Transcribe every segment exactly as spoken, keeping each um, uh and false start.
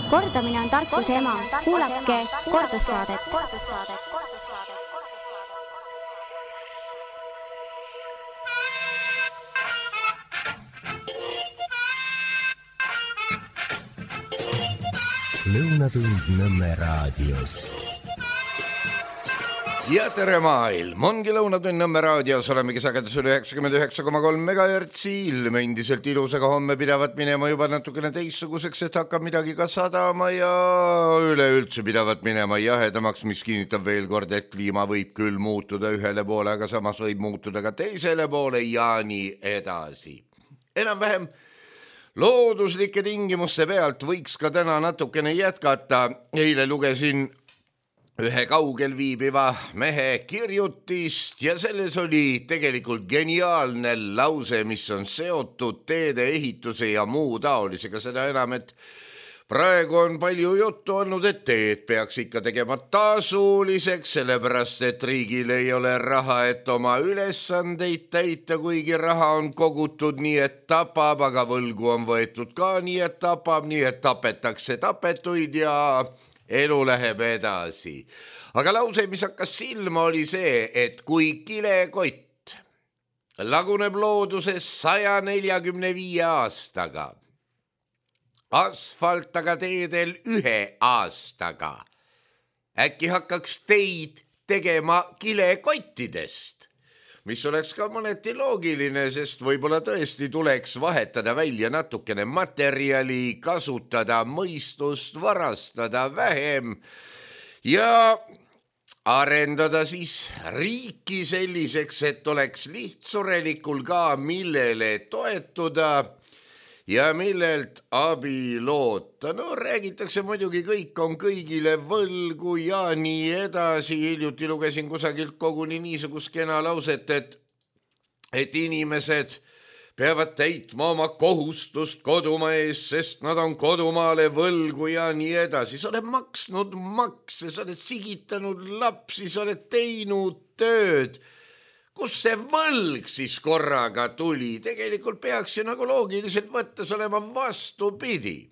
Kordamine on tarkuse ema. Kuulake kordussaadet. Lõunatund Nõmme raadios. Ja tere maailm, ongi Lõunatund Nõmme raadios, olemegi sagedus üle üheksakümmend üheksa koma kolm megahertsi, ilme endiselt ilusaga homme pidavat minema juba natukene teistsuguseks, et hakkab midagi ka sadama ja üleüldse pidavat minema jahedamaks, mis kinnitab veel kord, et kliima võib küll muutuda ühele poole, aga samas võib muutuda ka teisele poole ja nii edasi. Enam-vähem looduslike tingimuste pealt võiks ka täna natukene jätkata. Eile lugesin ühe kaugel viibiva mehe kirjutist ja selles oli tegelikult geniaalne lause, mis on seotud teede ehituse ja muu taolisega, seda enam, et praegu on palju juttu olnud, et teed peaks ikka tegema tasuliseks, sellepärast, et riigil ei ole raha, et oma ülesandeid täita, kuigi raha on kogutud nii, et tapab, aga võlgu on võetud ka nii, et tapab, nii, et tapetakse tapetuid ja elu läheb edasi. Aga lause, mis hakkas silma, oli see, et kui kilekott laguneb looduses saja neljakümne viie aastaga, asfalt aga teedel ühe aastaga, äkki hakkaks teid tegema kilekottidest, mis oleks ka mõneti loogiline, sest võib-olla tõesti tuleks vahetada välja natukene materjali, kasutada mõistust, varastada vähem ja arendada siis riiki selliseks, et oleks lihtsurelikul ka millele toetuda ja millelt abi loota. No räägitakse muidugi, kõik on kõigile võlgu ja nii edasi. Hiljuti lugesin kusagilt koguni niisugust kena lauset, et, et inimesed peavad täitma oma kohustust kodumaa ees, sest nad on kodumaale võlgu ja nii edasi. Sa oled maksnud makse, sa oled sigitanud lapsi, sa oled teinud tööd. Kus see võlg siis korraga tuli? Tegelikult peaks ju nagu loogiliselt võttes olema vastupidi.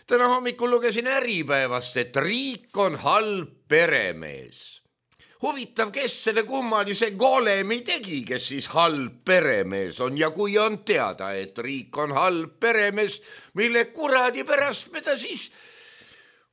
Täna hommikul lugesin Äripäevast, et riik on halb peremees. Huvitav, kes selle kummalise golemi tegi, kes siis halb peremees on ja kui on teada, et riik on halb peremees, mille kuradi pärast me ta siis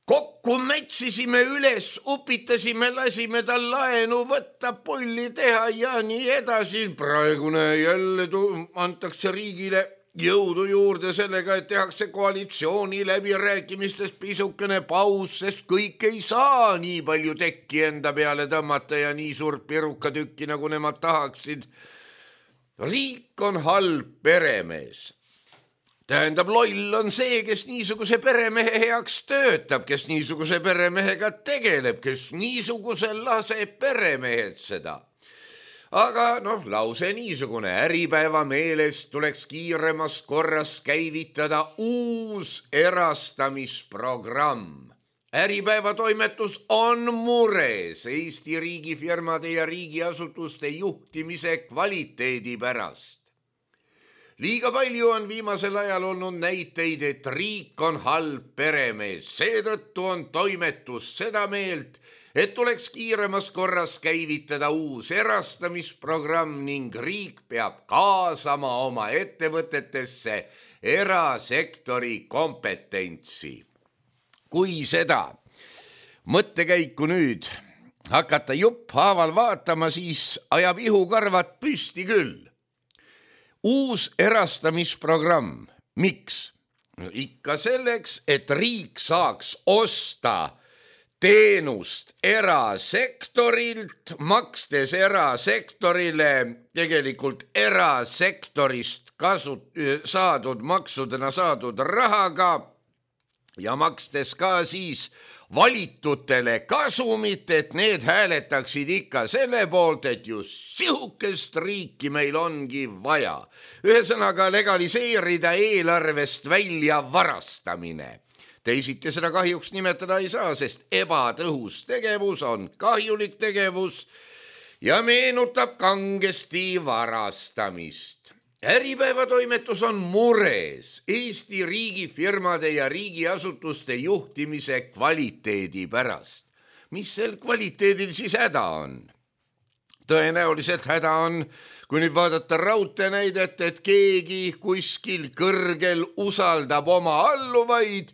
kokku metsisime üles, upitasime, lasime tal laenu võtta, pulli teha ja nii edasi. Praegune jälle antakse riigile jõudu juurde sellega, et tehakse koalitsiooni läbirääkimistes pisukene paus, sest kõik ei saa nii palju tekki enda peale tõmmata ja nii suurt pirukatükki, nagu nemad tahaksid. Riik on halb peremees. Tähendab, loll on see, kes niisuguse peremehe heaks töötab, kes niisuguse peremehega tegeleb, kes niisuguse laseb peremehed seda. Aga noh, lause niisugune, Äripäeva meelest tuleks kiiremas korras käivitada uus erastamisprogramm. Äripäeva toimetus on mures Eesti riigifirmade ja riigiasutuste juhtimise kvaliteedi pärast. Liiga palju on viimasel ajal olnud näiteid, et riik on halb peremees. Seetõttu on toimetus seda meelt, et tuleks kiiremas korras käivitada uus erastamisprogramm ning riik peab kaasama oma ettevõtetesse erasektori kompetentsi. Kui seda mõttekäiku nüüd hakata jupp haaval vaatama, siis ajab ihukarvad püsti küll. Uus erastamisprogramm. Miks? Ikka selleks, et riik saaks osta teenust erasektorilt, makstes erasektorile tegelikult erasektorist kasut- saadud maksudena saadud rahaga ja makstes ka siis valitutele kasumit, et need hääletaksid ikka selle poolt, et just sihukest riiki meil ongi vaja. Ühesõnaga legaliseerida eelarvest välja varastamine. Teisiti seda kahjuks nimetada ei saa, sest ebatõhus tegevus on kahjulik tegevus ja meenutab kangesti varastamist. Äripäeva toimetus on mures Eesti riigifirmade ja riigiasutuste juhtimise kvaliteedi pärast. Mis sel kvaliteedil siis häda on? Tõenäoliselt häda on, kui nüüd vaadata raudtee näidet, et keegi kuskil kõrgel usaldab oma alluvaid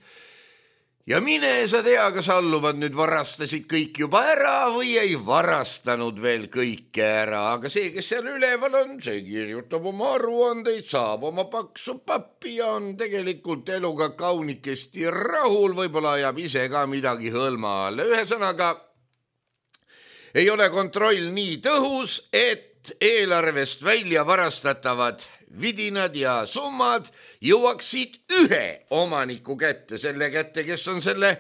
ja mine sa tea, kas alluvad nüüd varastasid kõik juba ära või ei varastanud veel kõike ära, aga see, kes seal üleval on, see kirjutab oma aruandeid, saab oma paksu pappi ja on tegelikult eluga kaunikesti rahul, võib-olla ajab ise ka midagi hõlma alla. Ühesõnaga, ei ole kontroll nii tõhus, et eelarvest välja varastatavad vidinad ja summad jõuaksid ühe omaniku kätte, selle kätte, kes on selle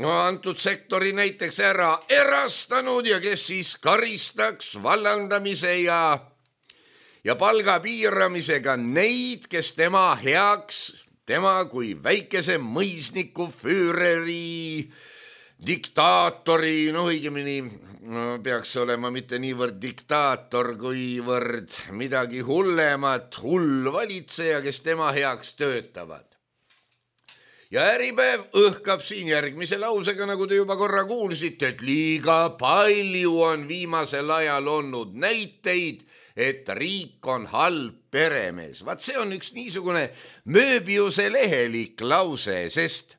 no, antud sektori näiteks ära erastanud ja kes siis karistaks vallandamise ja, ja palga piiramisega neid, kes tema heaks, tema kui väikese mõisniku füüreri, diktaatori, no õigemini no, peaks olema mitte niivõrd diktaator, kuivõrd midagi hullemat, hull valitseja, kes tema heaks töötavad. Ja Äripäev õhkab siin järgmise lausega, nagu te juba korra kuulsite, et liiga palju on viimasel ajal olnud näiteid, et riik on halb peremees. Vaat see on üks niisugune Mööbiuse lehelik lause, sest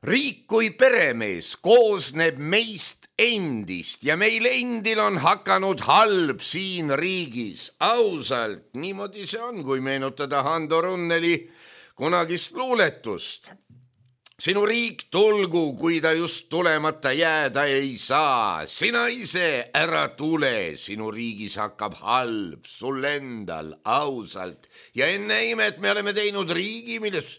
riik kui peremees koosneb meist endist ja meil endil on hakanud halb siin riigis. Ausalt, niimoodi see on, kui meenutada Hando Runneli kunagist luuletust. Sinu riik tulgu, kui ta just tulemata jääda ei saa. Sina ise ära tule, sinu riigis hakkab halb, sul endal, ausalt. Ja enne imet me oleme teinud riigi, milles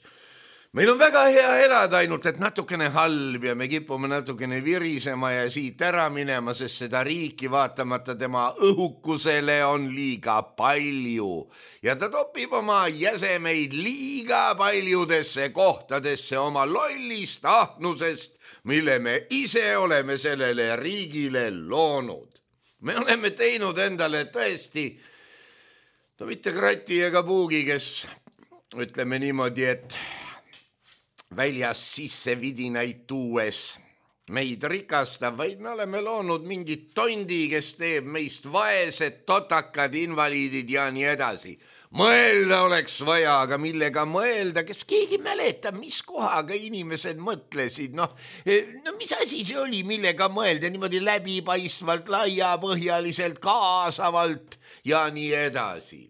meil on väga hea elada, ainult et natukene halb ja me kipume natukene virisema ja siit ära minema, sest seda riiki vaatamata tema õhukusele on liiga palju. Ja ta topib oma jäsemeid liiga paljudesse kohtadesse oma lollist ahnusest, mille me ise oleme sellele riigile loonud. Me oleme teinud endale tõesti, no mitte krati ega puugi, kes ütleme niimoodi, et väljas sisse vidinaid tuues meid rikastab, vaid me oleme loonud mingit tondi, kes teeb meist vaesed, totakad, invaliidid ja nii edasi. Mõelda oleks vaja, aga millega mõelda, kes keegi mäletab, mis kohaga inimesed mõtlesid, noh, no mis asi see oli, millega mõelda niimoodi läbipaistvalt, laiapõhjaliselt, kaasavalt ja nii edasi.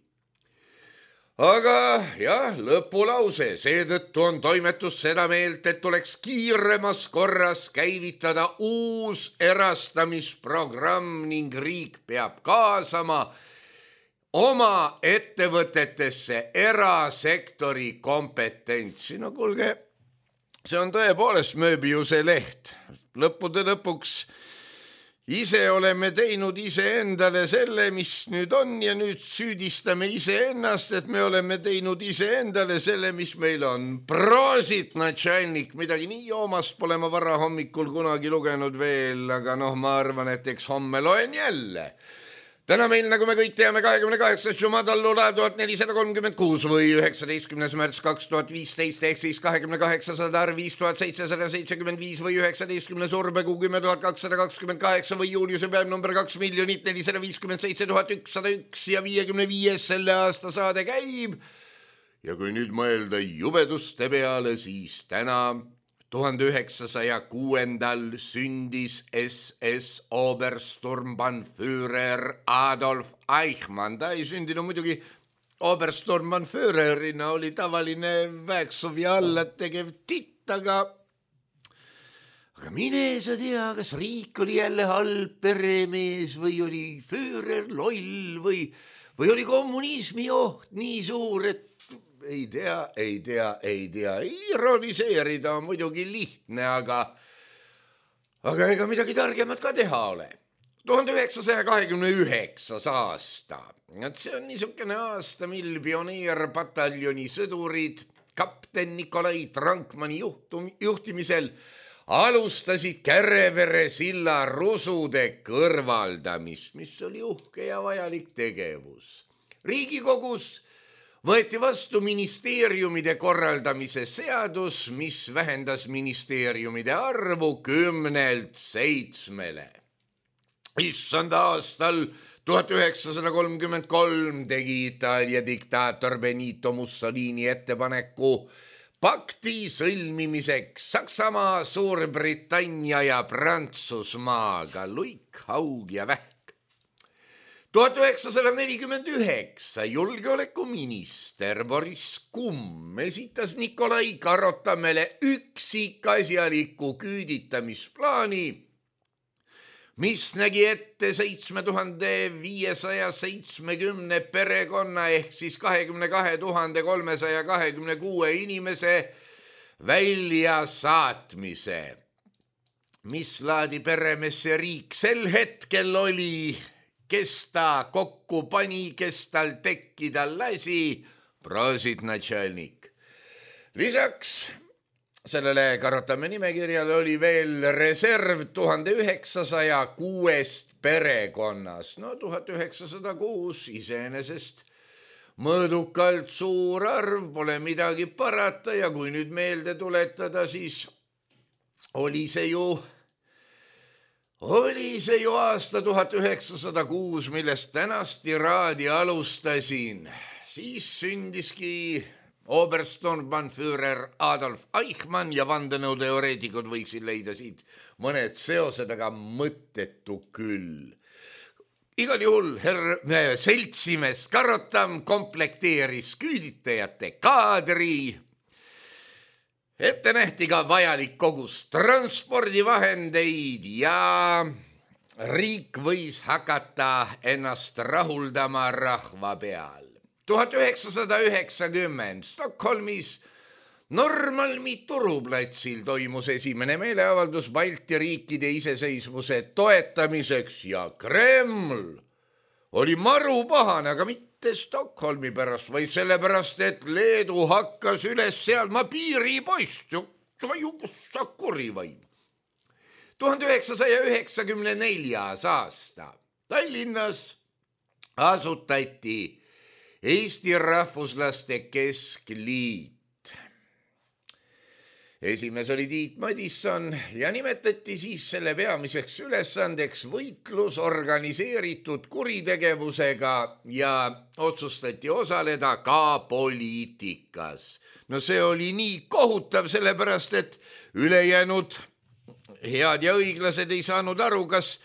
Aga jah, lõpulause, seetõttu on toimetus seda meelt, et tuleks kiiremas korras käivitada uus erastamisprogramm ning riik peab kaasama oma ettevõtetesse erasektori kompetentsi. No kuulge, see on tõepoolest Mööbiuse leht. Lõppude lõpuks ise oleme teinud iseendale selle, mis nüüd on ja nüüd süüdistame iseennast, et me oleme teinud iseendale selle, mis meil on. Prosit, natšalnik, midagi nii joomast pole ma vara hommikul kunagi lugenud veel, aga noh, ma arvan, et eks homme loen jälle. Täna meil, nagu me kõik teame, kahekümne kaheksas Jumadallula tuhat nelisada kolmkümmend kuus või üheksateistkümnes märts kaks tuhat viisteist ehk siis kahekümne kaheksasada arv viis tuhat seitsesada seitsekümmend viis või üheksateistkümnes urbekuu kümme tuhat kakssada kakskümmend kaheksa või juuliuse päev number kaks miljonit nelisada viiskümmend seitse tuhat ükssada üks ja viiekümne viies selle aasta saade käib. Ja kui nüüd mõelda jubeduste peale, siis täna tuhande üheksasaja kuuendal sündis S S Obersturmbannführer Adolf Eichmann. Ta ei sündinud muidugi Obersturmbannführerina, oli tavaline väeksuv ja alla tegev titt, aga aga mine sa tea, kas riik oli jälle halb peremees või oli führer loll või, või oli kommunismi oht nii suur, et ei tea, ei tea, ei tea, ironiseerida on muidugi lihtne, aga aga ega midagi targemat ka teha ole. tuhande üheksasaja kahekümne üheksas aasta. See on niisugune aasta, mil pioneerpataljoni sõdurid kapten Nikolai Trankmani juhtum, juhtimisel alustasid Kärevere silla rusude kõrvaldamist, mis oli uhke ja vajalik tegevus. Riigikogus võeti vastu ministeeriumide korraldamise seadus, mis vähendas ministeeriumide arvu kümnelt seitsmele. Issanda aastal tuhat üheksasada kolmkümmend kolm tegi Itaalia diktaator Benito Mussolini ettepaneku pakti sõlmimiseks Saksamaa, Suurbritannia ja Prantsusmaaga, luik, haug ja vähk. tuhat üheksasada nelikümmend üheksa julgeolekuminister Boris Kumm esitas Nikolai Karotamele üksikasjaliku küüditamisplaani, mis nägi ette seitsme tuhande viiesaja seitsmekümne perekonna ehk siis kahekümne kahe tuhande kolmesaja kahekümne kuue inimese väljasaatmise. Mis laadi peremees see riik sel hetkel oli, kes ta kokku pani, kes tal tekkida lasi, prosit natšalnik. Lisaks sellele Karotame nimekirjale oli veel reserv tuhande üheksasaja kuuest perekonnas. No tuhat üheksasada kuus iseenesest mõõdukalt suur arv, pole midagi parata ja kui nüüd meelde tuletada, siis oli see ju, oli see ju aasta tuhat üheksasada kuus, millest tänast tiraadi alustasin. Siis sündiski Obersturmbannführer Adolf Eichmann ja vandenõuteoreetikud võiksid leida siit mõned seosed, aga mõttetu küll. Igal juhul herr seltsimees Karotam komplekteeris küüditajate kaadri. Ette nähti ka vajalik kogus transpordivahendeid ja riik võis hakata ennast rahuldama rahva peal. tuhat üheksasada üheksakümmend Stockholmis Normalmi turuplatsil toimus esimene meeleavaldus Balti riikide iseseisvuse toetamiseks ja Kreml oli maru pahane, aga mitte Stockholmi pärast, vaid sellepärast, et Leedu hakkas üles seadma piiripoist. Sa kuri vaid. tuhande üheksasaja üheksakümne neljas aasta Tallinnas asutati Eesti Rahvuslaste Keskliit. Esimees oli Tiit Madisson ja nimetati siis selle peamiseks ülesandeks võitlus organiseeritud kuritegevusega ja otsustati osaleda ka poliitikas. No see oli nii kohutav, sellepärast et ülejäänud head ja õiglased ei saanud aru, kas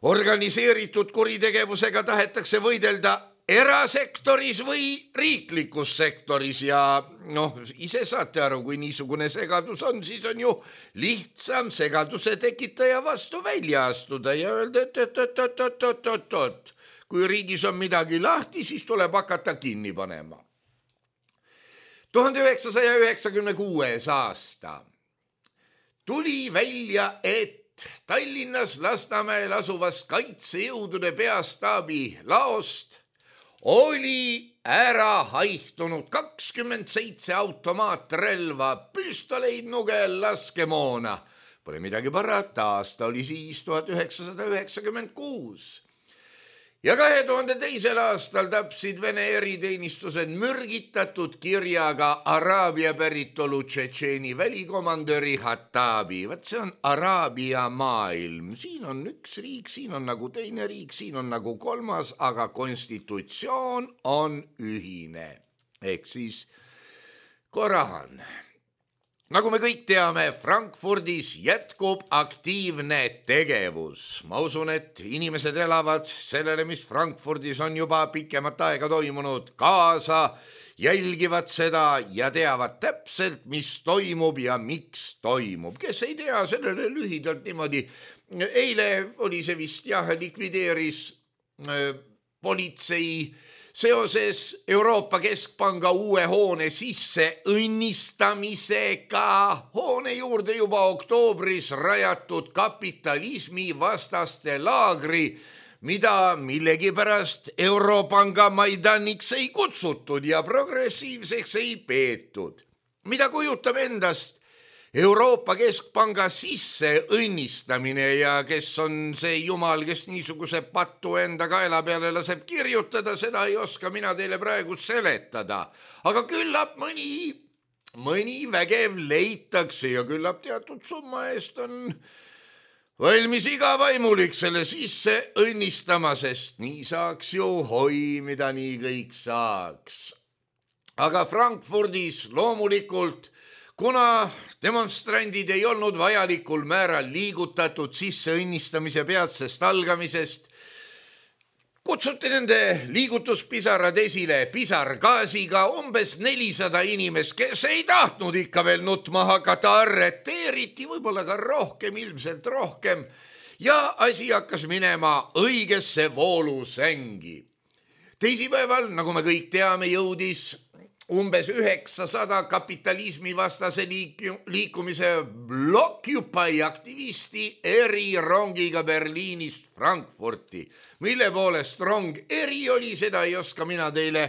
organiseeritud kuritegevusega tahetakse võidelda erasektoris või riiklikus sektoris ja noh, ise saate aru, kui niisugune segadus on, siis on ju lihtsam segaduse tekitaja vastu välja astuda ja öelda, et, et, et, et, et, et, et, et. Kui riigis on midagi lahti, siis tuleb hakata kinni panema. tuhande üheksasaja üheksakümne kuues aasta tuli välja, et Tallinnas Lasnamäel asuvast kaitsejõudude peastaabi laost oli ära haihtunud kakskümmend seitse automaatrelva, püstoleid, nugel, laskemoona. Pole midagi parata, aasta oli siis tuhat üheksasada üheksakümmend kuus. Ja kahe tuhande teisel aastal tapsid Vene eriteenistused mürgitatud kirjaga Araabia päritolu Tšetšeeni välikomandöri Hatabi. Vaat see on Araabia maailm. Siin on üks riik, siin on nagu teine riik, siin on nagu kolmas, aga konstitutsioon on ühine. Ehk siis Koran. Nagu me kõik teame, Frankfurdis jätkub aktiivne tegevus. Ma usun, et inimesed elavad sellele, mis Frankfurdis on juba pikemat aega toimunud, kaasa, jälgivad seda ja teavad täpselt, mis toimub ja miks toimub. Kes ei tea, sellele lühidalt niimoodi. Eile oli see vist jah, likvideeris äh, politsei seoses Euroopa Keskpanga uue hoone sisse õnnistamisega hoone juurde juba oktoobris rajatud kapitalismi vastaste laagri, mida millegipärast Europanga Maidaniks ei kutsutud ja progressiivseks ei peetud. Mida kujutab endast Euroopa Keskpanga sisse õnnistamine ja kes on see jumal, kes niisuguse patu enda kaela peale laseb kirjutada, seda ei oska mina teile praegu seletada. Aga küllap mõni, mõni vägev leitakse ja küllap teatud summa eest on valmis iga vaimulik selle sisse õnnistama, sest nii saaks ju hoi, mida nii kõik saaks. Aga Frankfurdis loomulikult, kuna demonstrandid ei olnud vajalikul määral liigutatud sisse õnnistamise peatsest algamisest, kutsuti nende liigutuspisarad esile pisargaasiga umbes nelisada inimest, kes ei tahtnud ikka veel nutma hakata, arreteeriti, võib-olla ka rohkem, ilmselt rohkem, ja asi hakkas minema õigesse voolusängi. Teisipäeval, nagu me kõik teame, jõudis umbes üheksasada kapitalismi vastase liikumise Blockupy aktivisti eri rongiga Berliinist Frankfurti. Mille poolest rong eri oli, seda ei oska mina teile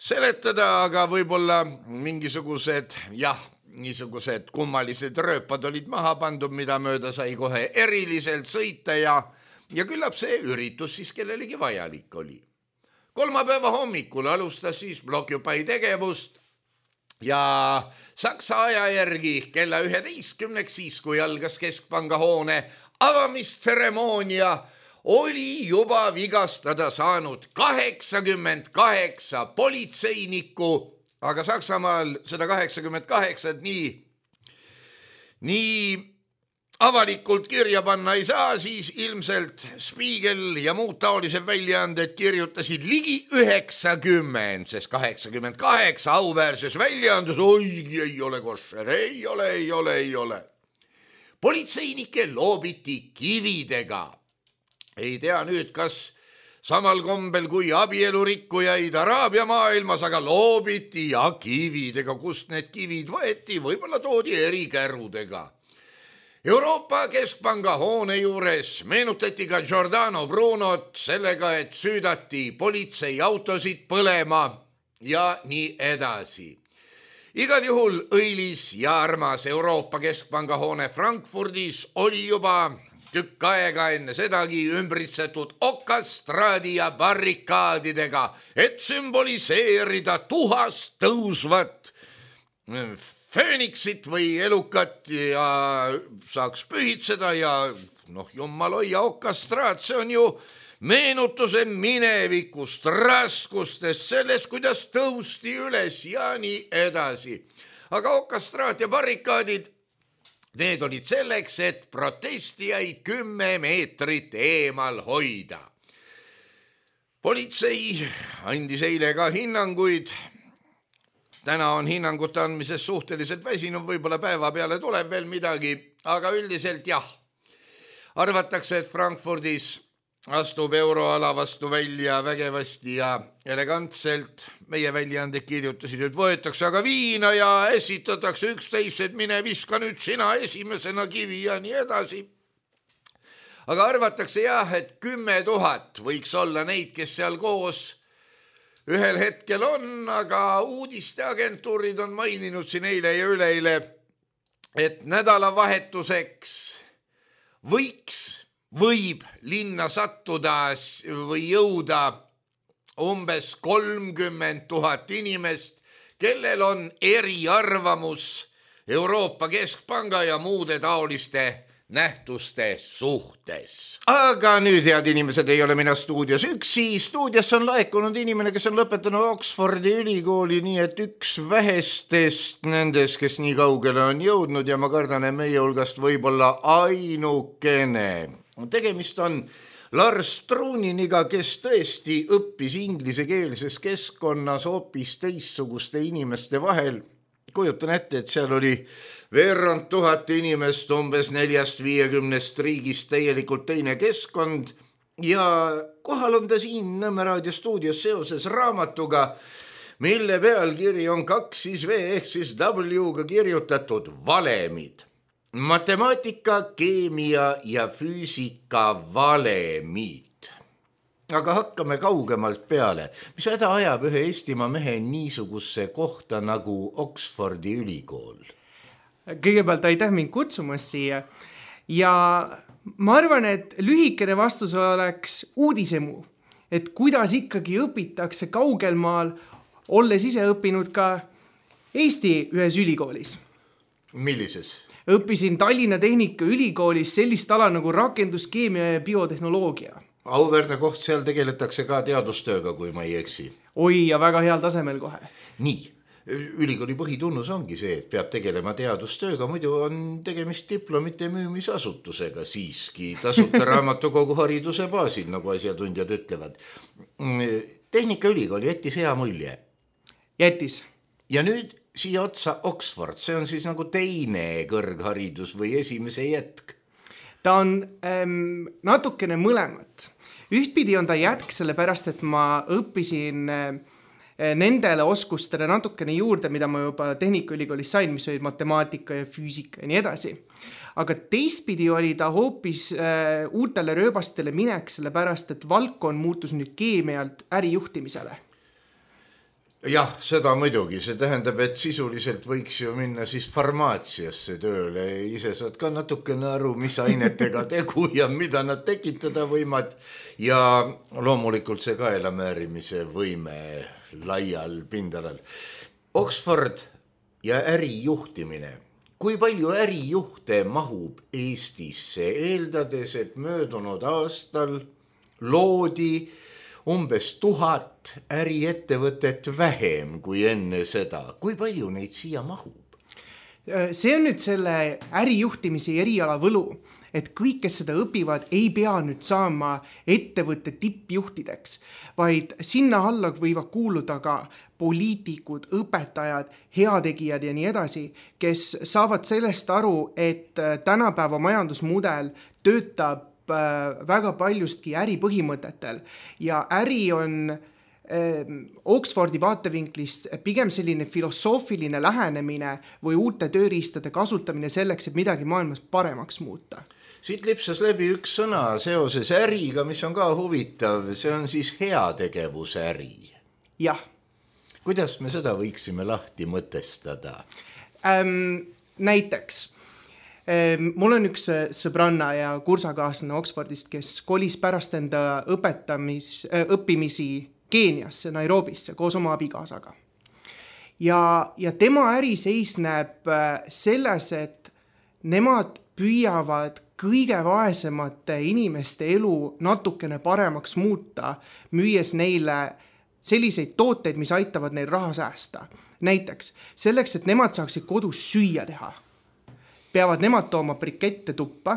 seletada, aga võib-olla mingisugused, jah, niisugused kummalised rööpad olid maha pandud, mida mööda sai kohe eriliselt sõita ja, ja küllap see üritus siis kellelegi vajalik oli. Kolmapäeva hommikul alustas siis Blockupy tegevust ja Saksa aja järgi kella üheteistkümneks, siis kui algas Keskpanga hoone avamistseremoonia, oli juba vigastada saanud kaheksakümmend kaheksa politseinikku, aga Saksamaal seda kaheksakümmend kaheksa nii, nii avalikult kirja panna ei saa, siis ilmselt Spiegel ja muud taolised väljaanded kirjutasid ligi üheksakümmend, sest kaheksakümmend kaheksa auväärses väljaandes, oigi ei ole košer, ei ole, ei ole, ei ole. Politseinike loobiti kividega. Ei tea nüüd, kas samal kombel kui abielurikkujaid Araabia maailmas, aga loobiti ja kividega, kust need kivid võeti, võib-olla toodi erikärudega. Euroopa Keskpanga hoone juures meenutati ka Giordano Brunot sellega, et süüdati politseiautosid põlema ja nii edasi. Igal juhul õilis ja armas Euroopa Keskpanga hoone Frankfurdis oli juba tükk aega enne sedagi ümbritsetud okastraadi ja barrikaadidega, et sümboliseerida tuhast tõusvat fööniksit või elukat ja saaks pühitseda ja noh, jumal hoia okastraat, see on ju meenutuse minevikust, raskustest, sellest, kuidas tõusti üles ja nii edasi. Aga okastraat ja barrikaadid, need olid selleks, et protestijaid kümme meetrit eemal hoida. Politsei andis eile ka hinnanguid. Täna on hinnangute andmises suhteliselt väsinud, võib-olla päeva peale tuleb veel midagi, aga üldiselt jah. Arvatakse, et Frankfurdis astub euroala vastu välja vägevasti ja elegantselt. Meie väljaanded kirjutasid, et võetakse aga viina ja esitatakse üksteist, et mine viska nüüd sina esimesena kivi ja nii edasi. Aga arvatakse jah, et kümme tuhat võiks olla neid, kes seal koos ühel hetkel on, aga uudisteagentuurid on maininud siin eile ja üleile, et nädalavahetuseks võiks, võib linna sattuda või jõuda umbes kolmkümmend tuhat inimest, kellel on eriarvamus Euroopa Keskpanga ja muude taoliste nähtuste suhtes. Aga nüüd, head inimesed, ei ole mina stuudios üksi. Stuudiosse on laekunud inimene, kes on lõpetanud Oxfordi ülikooli, nii et üks vähestest nendest, kes nii kaugele on jõudnud ja ma kardan, et meie hulgast võib-olla ainukene. Tegemist on Lars Truniniga, kes tõesti õppis inglisekeelses keskkonnas hoopis teistsuguste inimeste vahel. Kujutan ette, et seal oli veerand tuhat inimest umbes neljast viiekümnest riigist täielikult teine keskkond ja kohal on ta siin Nõmme raadio stuudios seoses raamatuga, mille pealkiri on kaks siis V ehk siis W-ga kirjutatud valemid. Matemaatika, keemia ja füüsika valemid. Aga hakkame kaugemalt peale. Mis häda ajab ühe Eestimaa mehe niisugusse kohta nagu Oxfordi ülikool? kõigepealt aitäh mind kutsumast siia ja ma arvan, et lühikene vastus oleks uudisemu, et kuidas ikkagi õpitakse kaugelmaal, olles ise õppinud ka Eesti ühes ülikoolis. Millises? Õppisin Tallinna Tehnika ülikoolis sellist ala nagu rakenduskeemia ja biotehnoloogia. Auväärne koht, seal tegeletakse ka teadustööga, kui ma ei eksi. Oi, ja väga heal tasemel kohe. Nii, ülikooli põhitunnus ongi see, et peab tegelema teadustööga, muidu on tegemist diplomite müümisasutusega siiski, tasuta raamatukogu hariduse baasil, nagu asjatundjad ütlevad. Tehnikaülikool jättis hea mulje. Jättis. Ja nüüd siia otsa Oxford, see on siis nagu teine kõrgharidus või esimese jätk? Ta on ähm, natukene mõlemat. Ühtpidi on ta jätk sellepärast, et ma õppisin äh, nendele oskustele natukene juurde, mida ma juba Tehnikaülikoolis sain, mis olid matemaatika ja füüsika ja nii edasi. Aga teistpidi oli ta hoopis äh, uutele rööbastele minek, sellepärast, et valdkond muutus nüüd keemialt ärijuhtimisele. Jah, seda muidugi, see tähendab, et sisuliselt võiks ju minna siis farmaatsiasse tööle, ise saad ka natukene aru, mis ainetega tegu ja mida nad tekitada võimad ja loomulikult see kaelamäärimise võime laial pindalal. Oxford ja ärijuhtimine. Kui palju ärijuhte mahub Eestisse, eeldades, et möödunud aastal loodi umbes tuhat äriettevõtet vähem kui enne seda. Kui palju neid siia mahub? See on nüüd selle ärijuhtimise eriala võlu, et kõik, kes seda õpivad, ei pea nüüd saama ettevõtte tippjuhtideks, vaid sinna alla võivad kuuluda ka poliitikud, õpetajad, heategijad ja nii edasi, kes saavad sellest aru, et tänapäeva majandusmudel töötab väga paljustki äripõhimõtetel ja äri on äh, Oxfordi vaatevinklist pigem selline filosoofiline lähenemine või uute tööriistade kasutamine selleks, et midagi maailmas paremaks muuta. Siit lipsas läbi üks sõna seoses äriga, mis on ka huvitav, see on siis heategevusäri. Jah. Kuidas me seda võiksime lahti mõtestada? Ähm, näiteks mul on üks sõbranna ja kursakaaslane Oxfordist, kes kolis pärast enda õpetamis, õppimisi Keeniasse, Nairobisse koos oma abikaasaga. Ja, ja tema äri seisneb selles, et nemad püüavad kõige vaesemate inimeste elu natukene paremaks muuta, müües neile selliseid tooteid, mis aitavad neil raha säästa. Näiteks selleks, et nemad saaksid kodus süüa teha, peavad nemad tooma brikette tuppa,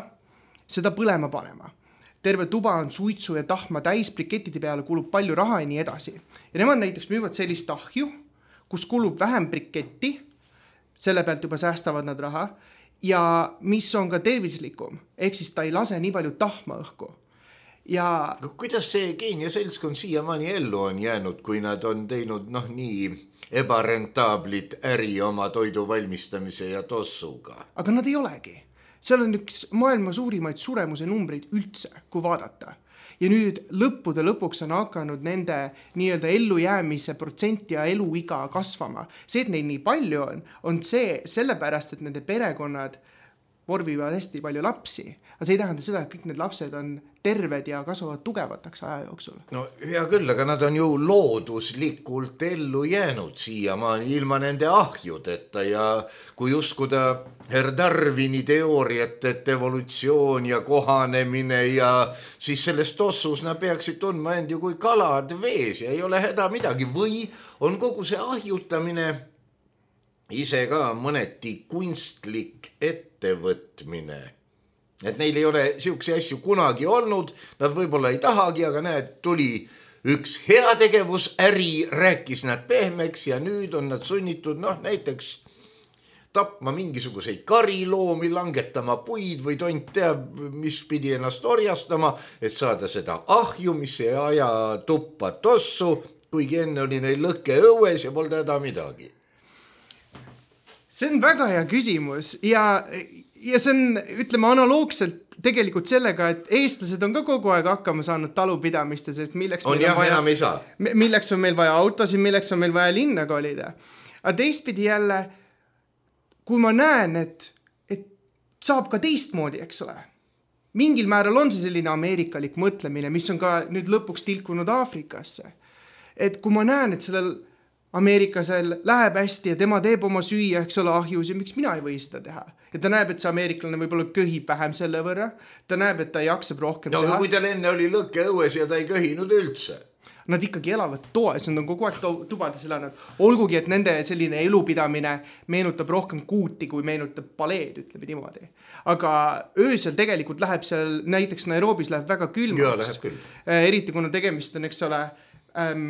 seda põlema panema. Terve tuba on suitsu ja tahma täis, brikettide peale kulub palju raha ja nii edasi. Ja nemad näiteks müüvad sellist ahju, kus kulub vähem briketti, selle pealt juba säästavad nad raha, ja mis on ka tervislikum, ehk siis ta ei lase nii palju tahma õhku. Ja kuidas see Keenia seltskond siiamaani ellu on jäänud, kui nad on teinud noh nii ebarentaablit äri oma toidu valmistamise ja tossuga? Aga nad ei olegi. Seal on üks maailma suurimaid suremuse numbreid üldse, kui vaadata. Ja nüüd lõppude lõpuks on hakanud nende nii-öelda ellujäämise protsent ja eluiga kasvama. See, et neid nii palju on, on see sellepärast, et nende perekonnad vorvivad hästi palju lapsi. Aga see ei tähenda seda, et kõik need lapsed on terved ja kasvavad tugevataks aja jooksul. No hea küll, aga nad on ju looduslikult ellu jäänud siiamaani ilma nende ahjudeta ja kui uskuda Herr Darwini teooriat, et evolutsioon ja kohanemine ja siis selles tossus nad peaksid tundma end ju kui kalad vees ja ei ole häda midagi või on kogu see ahjutamine ise ka mõneti kunstlik ettevõtmine. Et neil ei ole siukse asju kunagi olnud, nad võib-olla ei tahagi, aga näed, tuli üks heategevusäri, rääkis nad pehmeks ja nüüd on nad sunnitud noh, näiteks tapma mingisuguseid kariloomi, langetama puid või tont teab, mis pidi ennast orjastama, et saada seda ahju, mis ei aja tuppa tossu, kuigi enne oli neil lõkke õues ja polda häda midagi. See on väga hea küsimus ja, ja see on, ütleme, analoogselt tegelikult sellega, et eestlased on ka kogu aeg hakkama saanud talupidamistes, et milleks, on meil jah, on vaja, enam ei saa. milleks on meil vaja autosid, milleks on meil vaja linna kolida. Aga teistpidi jälle, kui ma näen, et, et saab ka teistmoodi, eks ole. Mingil määral on see selline ameerikalik mõtlemine, mis on ka nüüd lõpuks tilkunud Aafrikasse. Et kui ma näen, et sellel ameeriklasel läheb hästi ja tema teeb oma süüa, eks ole, ahjus ja miks mina ei või seda teha. Ja ta näeb, et see ameeriklane võib-olla köhib vähem selle võrra. Ta näeb, et ta jaksab rohkem no, teha. No kui tal enne oli lõkke õues ja ta ei köhinud üldse. Nad ikkagi elavad toas, nad on kogu aeg tubades elanud. Olgugi, et nende selline elupidamine meenutab rohkem kuuti, kui meenutab paleed, ütleme niimoodi. Aga öösel tegelikult läheb seal, näiteks Nairobis läheb väga külmaks. Jaa, läheb küll. Eriti kuna tegemist on, eks ole, ähm,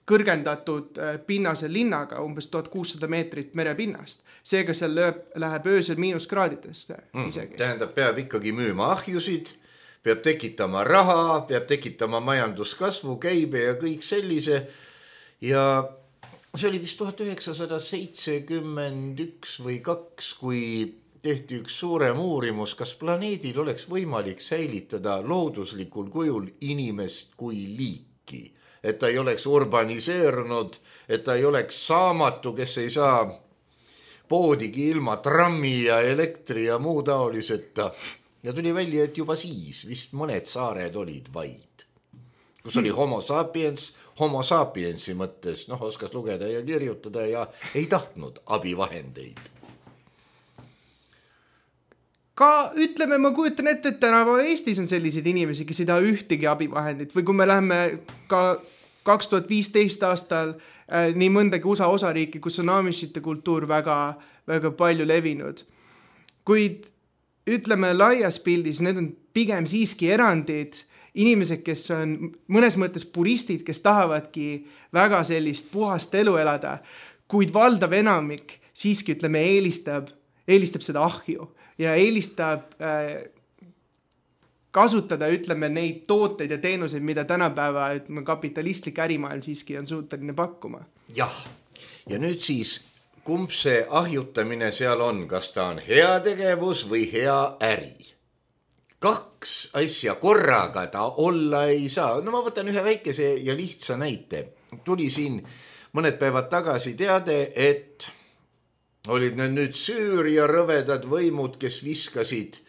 kõrgendatud pinnase linnaga, umbes tuhat kuussada meetrit merepinnast. Seega seal lööb, läheb öösel miinuskraadidest isegi. Mm, tähendab, peab ikkagi müüma ahjusid, peab tekitama raha, peab tekitama majanduskasvu, käibe ja kõik sellise. Ja see oli vist tuhat üheksasada seitsekümmend üks või kaks, kui tehti üks suurem uurimus, kas planeedil oleks võimalik säilitada looduslikul kujul inimest kui liiki. Et ta ei oleks urbaniseerunud, et ta ei oleks saamatu, kes ei saa poodigi ilma trammi ja elektri ja muu taoliseta. Ja tuli välja, et juba siis vist mõned saared olid vaid. Kus oli homo sapiens, homo sapiensi mõttes, noh, oskas lugeda ja kirjutada ja ei tahtnud abivahendeid. Ka ütleme, ma kujutan ette, et tänapäeva Eestis on selliseid inimesi, kes ei taha ühtegi abivahendit või kui me läheme ka kaks tuhat viisteist aastal äh, nii mõndagi U S A osariiki, kus on amishite kultuur väga, väga palju levinud. Kuid ütleme laias pildis, need on pigem siiski erandid, inimesed, kes on mõnes mõttes puristid, kes tahavadki väga sellist puhast elu elada, kuid valdav enamik siiski ütleme eelistab, eelistab seda ahju. Ja eelistab äh, kasutada, ütleme, neid tooteid ja teenuseid, mida tänapäeva ütleme, kapitalistlik ärimaailm siiski on suuteline pakkuma. Jah, ja nüüd siis, kumb see ahjutamine seal on, kas ta on hea tegevus või hea äri? Kaks asja korraga ta olla ei saa. No ma võtan ühe väikese ja lihtsa näite. Tuli siin mõned päevad tagasi teade, et olid need nüüd Süüria rõvedad võimud, kes viskasid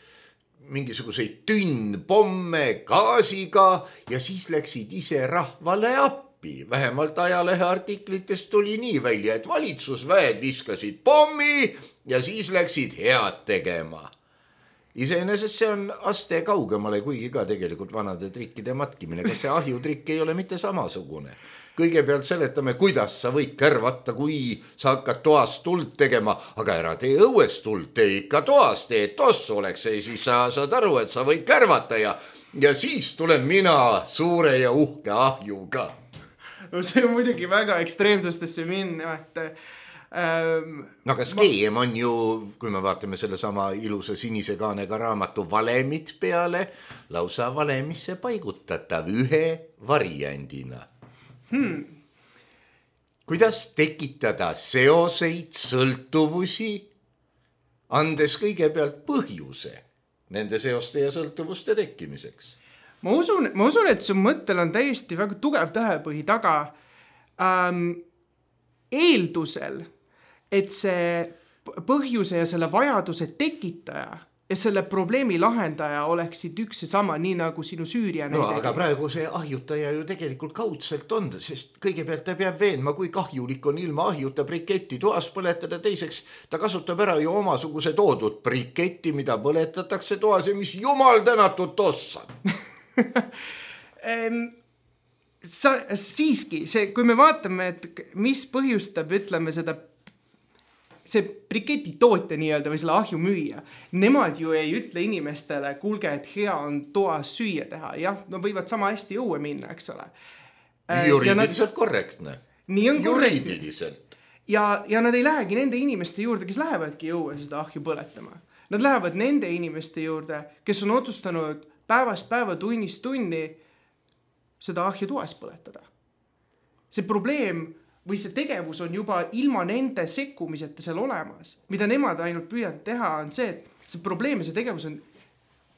mingisuguseid tünnpomme gaasiga ja siis läksid ise rahvale appi. Vähemalt ajalehe artiklitest tuli nii välja, et valitsusväed viskasid pommi ja siis läksid head tegema. Iseenesest see on aste kaugemale, kuigi ka tegelikult vanade trikkide matkimine. Kas see ahjutrikk ei ole mitte samasugune? Kõigepealt seletame, kuidas sa võid kärvata, kui sa hakkad toas tuld tegema, aga ära tee õues tuld, tee ikka toas, tee tossu oleks see, siis sa saad aru, et sa võid kärvata ja, ja siis tulen mina suure ja uhke ahjuga. No see on muidugi väga ekstreemsustesse minna, et ähm, no aga skeem on ju, kui me vaatame selle sama ilusa sinise kaanega raamatu valemit peale, lausa valemisse paigutatav ühe variandina. Hmm. Kuidas tekitada seoseid, sõltuvusi, andes kõigepealt põhjuse nende seoste ja sõltuvuste tekkimiseks? Ma usun, ma usun, et su mõttel on täiesti väga tugev tähepõhi taga ähm, eeldusel, et see põhjuse ja selle vajaduse tekitaja ja selle probleemi lahendaja oleksid üks ja sama, nii nagu sinu Süüria no, näide. Aga praegu see ahjutaja ju tegelikult kaudselt on, sest kõigepealt ta peab veenma, kui kahjulik on ilma ahjuta briketti toas põletada, teiseks ta kasutab ära ju omasuguse toodud briketti, mida põletatakse toas ja mis jumal tänatud tossab. Sa, siiski, see, kui me vaatame, et mis põhjustab, ütleme seda see briketi tootja nii-öelda või selle ahju müüa, nemad ju ei ütle inimestele, kuulge, et hea on toas süüa teha. Jah, no võivad sama hästi õue minna, eks ole. Juriidiliselt nad... korrektne. Nii on Juriidiliselt. Ja, ja nad ei lähegi nende inimeste juurde, kes lähevadki õue seda ahju põletama. Nad lähevad nende inimeste juurde, kes on otsustanud päevast päeva tunnist tunni seda ahju toas põletada. See probleem või see tegevus on juba ilma nende sekkumiseta seal olemas. Mida nemad ainult püüavad teha on see, et see probleem ja see tegevus on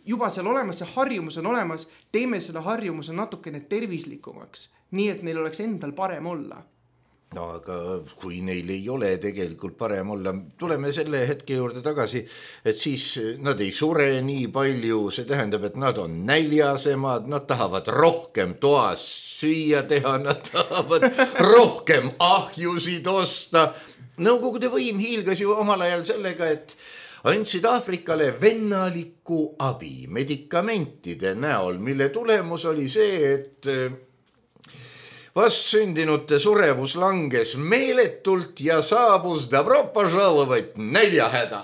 juba seal olemas, see harjumus on olemas, teeme selle harjumuse natukene tervislikumaks, nii et neil oleks endal parem olla. no aga kui neil ei ole tegelikult parem olla, tuleme selle hetke juurde tagasi, et siis nad ei sure nii palju, see tähendab, et nad on näljasemad, nad tahavad rohkem toas süüa teha, nad tahavad rohkem ahjusid osta. Nõukogude võim hiilgas ju omal ajal sellega, et andsid Aafrikale vennalikku abi medikamentide näol, mille tulemus oli see, et vastsündinute surevus langes meeletult ja saabus dobro požalovat näljahäda.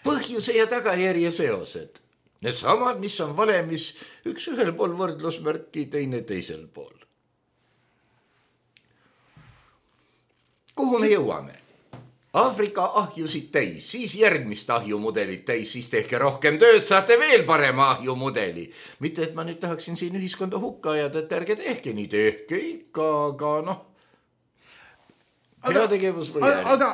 Põhjuse ja tagajärje seosed. Need samad, mis on valemis, üks ühel pool võrdlusmärki, teine teisel pool. Kuhu me jõuame? Aafrika ahjusid täis, siis järgmist ahjumudelit täis, siis tehke rohkem tööd, saate veel parema ahjumudeli. Mitte, et ma nüüd tahaksin siin ühiskonda hukka ajada, et ärge tehke nii, tehke ikka, aga noh, hea tegevus või aga, aga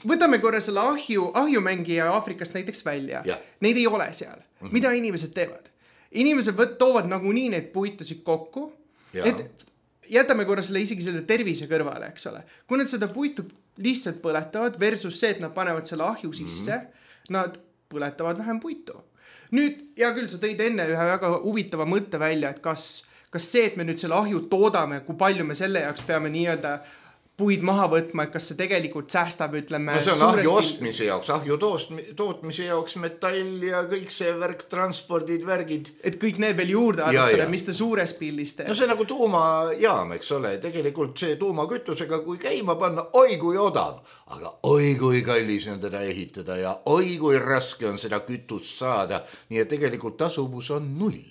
võtame korra selle ahju, ahjumängija Aafrikast näiteks välja. Ja. Neid ei ole seal. Mm-hmm. Mida inimesed teevad? Inimesed võt, toovad nagunii neid puitusid kokku, ja. Et jätame korra selle isegi selle tervise kõrvale, eks ole. Kui nad seda puitu lihtsalt põletavad versus see, et nad panevad selle ahju sisse, mm-hmm. nad põletavad vähem puitu. Nüüd, ja küll, sa tõid enne ühe väga huvitava mõtte välja, et kas, kas see, et me nüüd selle ahju toodame, kui palju me selle jaoks peame nii-öelda puid maha võtma, et kas see tegelikult säästab, ütleme... No see on ahju ostmise jaoks, ahju tootmise jaoks metall ja kõik see värk, transpordid, värgid. Et kõik need veel juurde arvestada, mis te suures pildis teeb. No see nagu tuumajaam, eks ole, tegelikult see tuumakütusega, kui käima panna, oi kui odav, aga oi kui kallis on teda ehitada ja oi kui raske on seda kütust saada, nii et tegelikult tasuvus on null.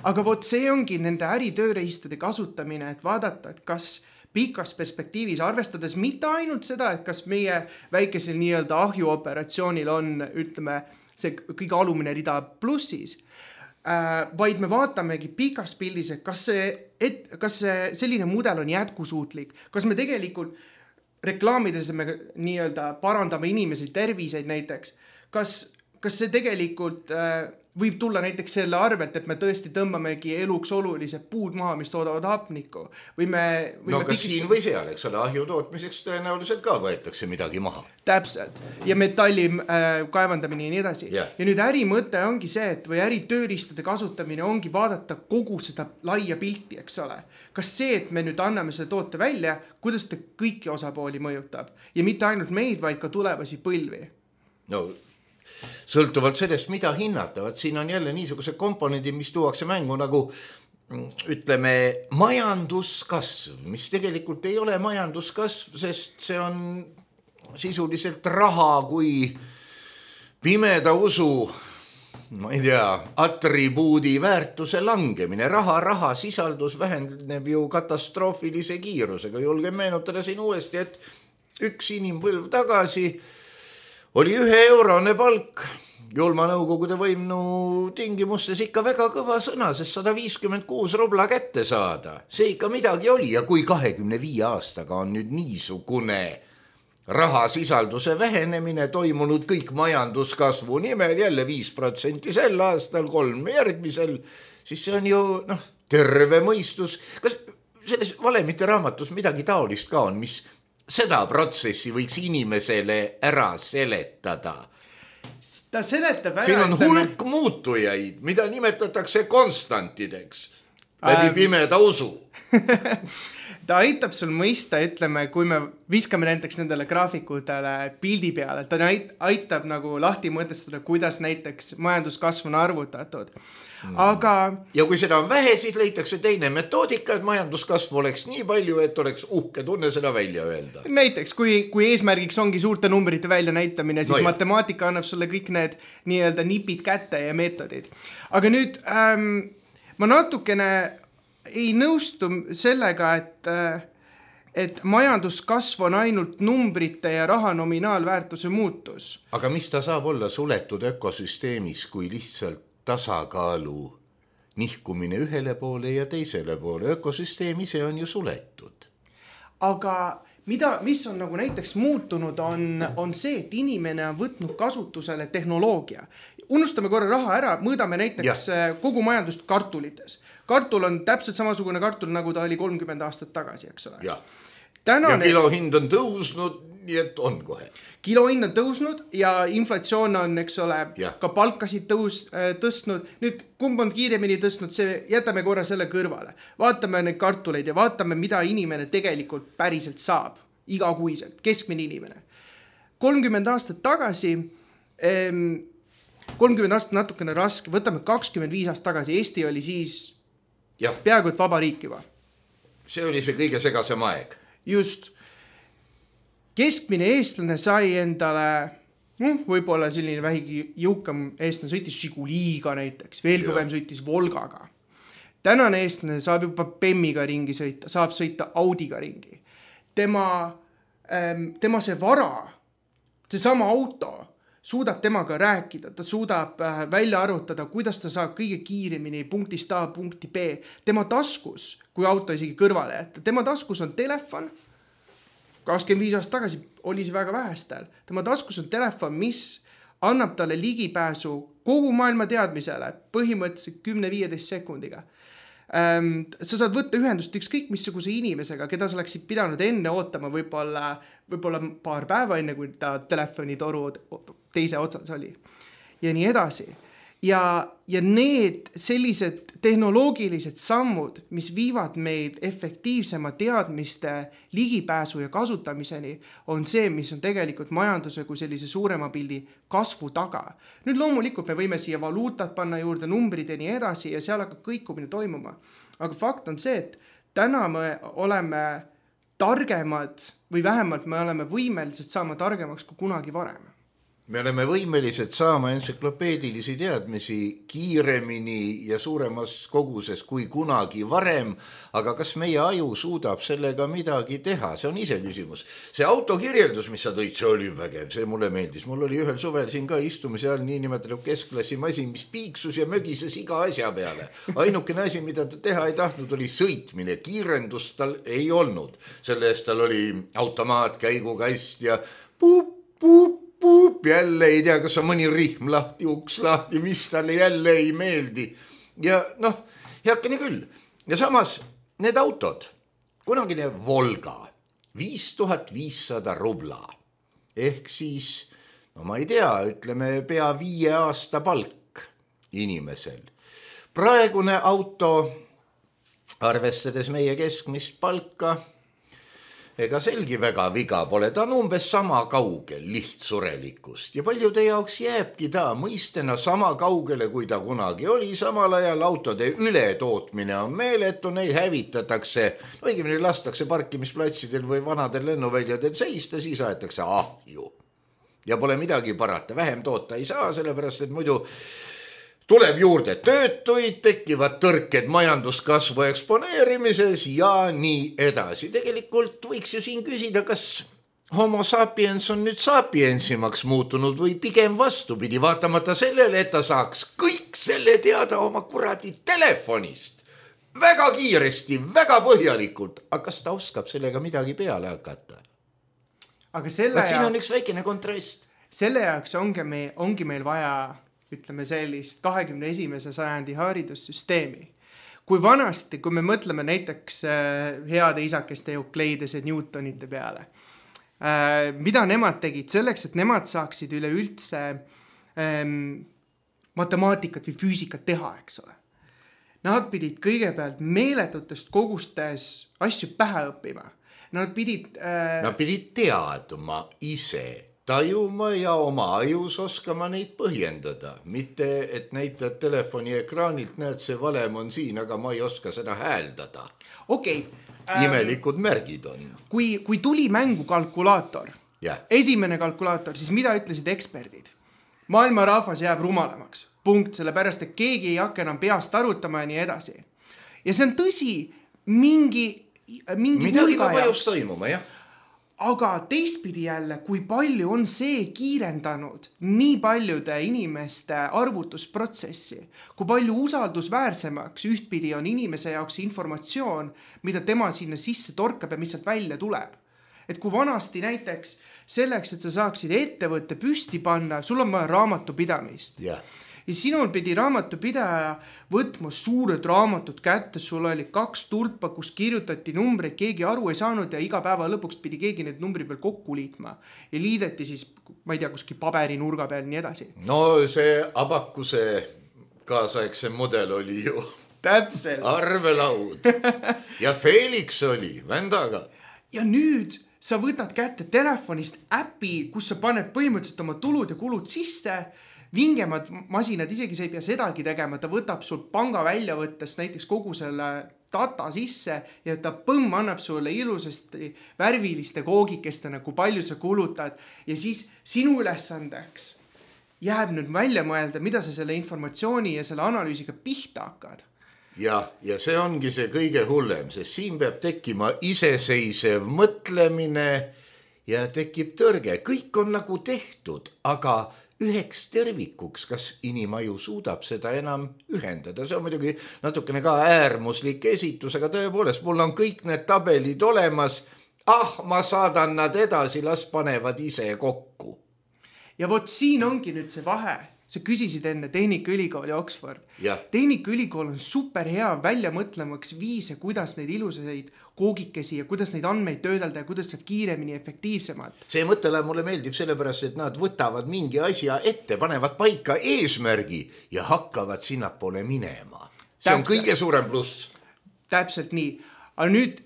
Aga vot see ongi nende äritööreistade kasutamine, et vaadata, et kas pikas perspektiivis arvestades mitte ainult seda, et kas meie väikesel nii-öelda ahjuoperatsioonil on, ütleme, see kõige alumine rida plussis, äh, vaid me vaatamegi pikas pildis, et kas see, et, kas see selline mudel on jätkusuutlik, kas me tegelikult reklaamides me nii-öelda parandame inimesi terviseid näiteks, kas, kas see tegelikult äh, võib tulla näiteks selle arvelt, et me tõesti tõmbamegi eluks olulised puud maha, mis toodavad hapnikku. Või me, või no me kas pikist... siin või seal, eks ole, ahju tootmiseks tõenäoliselt ka võetakse midagi maha. Täpselt. Ja metalli äh, kaevandamine ja nii edasi. Yeah. Ja nüüd ärimõte ongi see, et või äritööristade kasutamine ongi vaadata kogu seda laia pilti, eks ole. Kas see, et me nüüd anname selle toote välja, kuidas ta kõiki osapooli mõjutab? Ja mitte ainult meid, vaid ka tulevasi põlvi. No... sõltuvalt sellest, mida hinnatavad, siin on jälle niisuguse komponendi, mis tuuakse mängu nagu ütleme majanduskasv, mis tegelikult ei ole majanduskasv, sest see on sisuliselt raha kui pimeda usu, ma ei tea, atribuudi väärtuse langemine. Raha, raha sisaldus vähendab ju katastroofilise kiirusega. Julgen meenutada siin uuesti, et üks inimpõlv tagasi oli ühe eurone palk, julma nõukogude võimnu tingimustes ikka väga kõva sõna, sest sada viiskümmend kuus rubla kätte saada. See ikka midagi oli ja kui kahekümne viie aastaga on nüüd niisugune rahasisalduse vähenemine toimunud kõik majanduskasvu nimel, jälle viis protsenti sel aastal, kolm järgmisel, siis see on ju noh, terve mõistus. Kas selles valemite raamatus midagi taolist ka on, mis seda protsessi võiks inimesele ära seletada? Ta seletab ära. Siin on hulk muutujaid, mida nimetatakse konstantideks läbi ähm... pimeda usu. Ta aitab sul mõista, ütleme, kui me viskame näiteks nendele graafikutele pildi peale, ta aitab nagu lahti mõtestada, kuidas näiteks majanduskasv on arvutatud. Aga... ja kui seda on vähe, siis leitakse teine metoodika, et majanduskasv oleks nii palju, et oleks uhke tunne seda välja öelda. Näiteks, kui, kui eesmärgiks ongi suurte numbrite välja näitamine, siis no matemaatika annab sulle kõik need nii-öelda nipid kätte ja meetodid. Aga nüüd ähm, ma natukene ei nõustu sellega, et, et majanduskasv on ainult numbrite ja raha nominaalväärtuse muutus. Aga mis ta saab olla suletud ökosüsteemis, kui lihtsalt tasakaalu nihkumine ühele poole ja teisele poole? Ökosüsteem ise on ju suletud. Aga mida, mis on nagu näiteks muutunud, on, on see, et inimene on võtnud kasutusele tehnoloogia. Unustame korra raha ära, mõõdame näiteks ja. kogu majandust kartulites. kartul on täpselt samasugune kartul, nagu ta oli kolmkümmend aastat tagasi, eks ole. Ja, Tänane... ja kilohind on tõusnud, nii et on kohe. Kilohind on tõusnud ja inflatsioon on, eks ole, ja. ka palkasid tõus, tõstnud. Nüüd, kumb on kiiremini tõstnud, see jätame korra selle kõrvale. Vaatame neid kartuleid ja vaatame, mida inimene tegelikult päriselt saab. Igakuiselt, keskmine inimene. kolmkümmend aastat tagasi, kolmkümmend aastat natukene raske, võtame kakskümmend viis aastat tagasi. Eesti oli siis ja. peaaegu et vaba riik juba. See oli see kõige segasem aeg. Just. Keskmine eestlane sai endale, noh, võib-olla selline vähigi jõukam eestlane sõitis Žiguliga näiteks, veel kõvem sõitis Volgaga. Tänane eestlane saab juba Bemmiga ringi sõita, saab sõita Audiga ringi. Tema, tema see vara, see sama auto suudab temaga rääkida, ta suudab välja arvutada, kuidas ta saab kõige kiiremini punktist A punkti B. Tema taskus, kui auto isegi kõrvale jätta, tema taskus on telefon, kakskümmend viis aastat tagasi oli see väga vähestel. Tema taskus on telefon, mis annab talle ligipääsu kogu maailma teadmisele põhimõtteliselt kümme viieteist sekundiga. Ähm, sa saad võtta ühendust ükskõik missuguse inimesega, keda sa oleksid pidanud enne ootama võib-olla, võib-olla paar päeva enne, kui ta telefonitoru teise otsas oli. Ja nii edasi. Ja, ja need sellised tehnoloogilised sammud, mis viivad meid efektiivsema teadmiste ligipääsu ja kasutamiseni, on see, mis on tegelikult majanduse kui sellise suurema pildi kasvu taga. Nüüd loomulikult me võime siia valuutat panna juurde, numbrid ja nii edasi ja seal hakkab kõikumine toimuma. Aga fakt on see, et täna me oleme targemad või vähemalt me oleme võimelised saama targemaks kui kunagi varem. Me oleme võimelised saama entsüklopeedilisi teadmisi kiiremini ja suuremas koguses kui kunagi varem, aga kas meie aju suudab sellega midagi teha? See on ise küsimus. See autokirjeldus, mis sa tõid, see oli vägev, see mulle meeldis. Mul oli ühel suvel siin ka istumise all nii nimetatud keskklassi masin, mis piiksus ja mögises iga asja peale. Ainukene asi, mida ta teha ei tahtnud, oli sõitmine. Kiirendust tal ei olnud. Selle eest tal oli automaat, käigukast ja puup, puup, puup, jälle ei tea, kas on mõni rihm lahti, uks lahti, mis talle jälle ei meeldi. Ja noh, heakene küll. Ja samas need autod, kunagine Volga, viis tuhat viissada rubla. Ehk siis, no ma ei tea, ütleme pea viie aasta palk inimesel. Praegune auto, arvestades meie keskmist palka, ega selgi väga viga pole, ta on umbes sama kaugel lihtsurelikust ja paljude jaoks jääbki ta mõistena sama kaugele, kui ta kunagi oli. Samal ajal autode ületootmine on meeletu, neid hävitatakse, õigemini lastakse parkimisplatsidel või vanadel lennuväljadel seista, siis aetakse ahju. Ja pole midagi parata, vähem toota ei saa, sellepärast et muidu tuleb juurde töötuid, tekivad tõrked majanduskasvu eksponeerimises ja nii edasi. Tegelikult võiks ju siin küsida, kas homo sapiens on nüüd sapiensimaks muutunud või pigem vastupidi, vaatamata sellele, et ta saaks kõik selle teada oma kuradi telefonist. Väga kiiresti, väga põhjalikult. Aga kas ta oskab sellega midagi peale hakata? Aga selle jaoks... Siin on üks väikene kontrast. Selle jaoks ongi, me, ongi meil vaja... ütleme sellist kahekümne esimese sajandi haridussüsteemi. Kui vanasti, kui me mõtleme näiteks heade isakeste Eukleidese Newtonite peale, mida nemad tegid selleks, et nemad saaksid üleüldse ähm, matemaatikat või füüsikat teha, eks ole. Nad pidid kõigepealt meeletutest kogustes asju pähe õppima. Nad pidid... Äh... Nad pidid teadma ise. Tajuma ja oma ajus oskama neid põhjendada. Mitte, et näitad telefoni ekraanilt, näed, see valem on siin, aga ma ei oska seda hääldada. Okei. Okay, ähm, Imelikud märgid on. Kui, kui tuli mängu kalkulaator, yeah. esimene kalkulaator, siis mida ütlesid eksperdid? Maailma rahvas jääb rumalamaks. Punkt, sellepärast, et keegi ei hakka enam peast arutama ja nii edasi. Ja see on tõsi, mingi, mingi midagi ka vajus toimuma, jah. Aga teistpidi jälle, kui palju on see kiirendanud nii paljude inimeste arvutusprotsessi, kui palju usaldusväärsemaks ühtpidi on inimese jaoks informatsioon, mida tema sinna sisse torkab ja mis sealt välja tuleb. Et kui vanasti näiteks selleks, et sa saaksid ettevõtte püsti panna, sul on vaja raamatupidamist. Yeah. ja sinul pidi raamatupidaja võtma suured raamatud kätte, sul oli kaks tulpa, kus kirjutati numbreid, keegi aru ei saanud ja iga päeva lõpuks pidi keegi need numbrid veel kokku liitma ja liideti siis, ma ei tea, kuskil paberinurga peal nii edasi. No see Abakuse kaasaegse mudel oli ju täpselt arvelaud ja Felix oli vändaga. Ja nüüd sa võtad kätte telefonist äpi, kus sa paned põhimõtteliselt oma tulud ja kulud sisse, vingemad masinad, isegi sa ei pea sedagi tegema, ta võtab sul panga välja võttes näiteks kogu selle data sisse ja ta põmm annab sulle ilusasti värviliste koogikestena, kui palju sa kulutad ja siis sinu ülesandeks jääb nüüd välja mõelda, mida sa selle informatsiooni ja selle analüüsiga pihta hakkad. Ja, ja see ongi see kõige hullem, sest siin peab tekkima iseseisev mõtlemine ja tekib tõrge. Kõik on nagu tehtud, aga üheks tervikuks, kas inimaju suudab seda enam ühendada. See on muidugi natukene ka äärmuslik esitus, aga tõepoolest, mul on kõik need tabelid olemas. Ah, ma saadan nad edasi, las panevad ise kokku. Ja vot siin ongi nüüd see vahe. Sa küsisid enne Tehnikaülikooli Oxford. Ja. Tehnikaülikool on super hea välja mõtlemaks viise, kuidas neid ilusaid koogikesi ja kuidas neid andmeid töödelda ja kuidas saab kiiremini efektiivsemalt. See mõttele mulle meeldib sellepärast, et nad võtavad mingi asja ette, panevad paika eesmärgi ja hakkavad sinnapoole minema. See Täpselt. On kõige suurem pluss. Täpselt nii. Aga nüüd,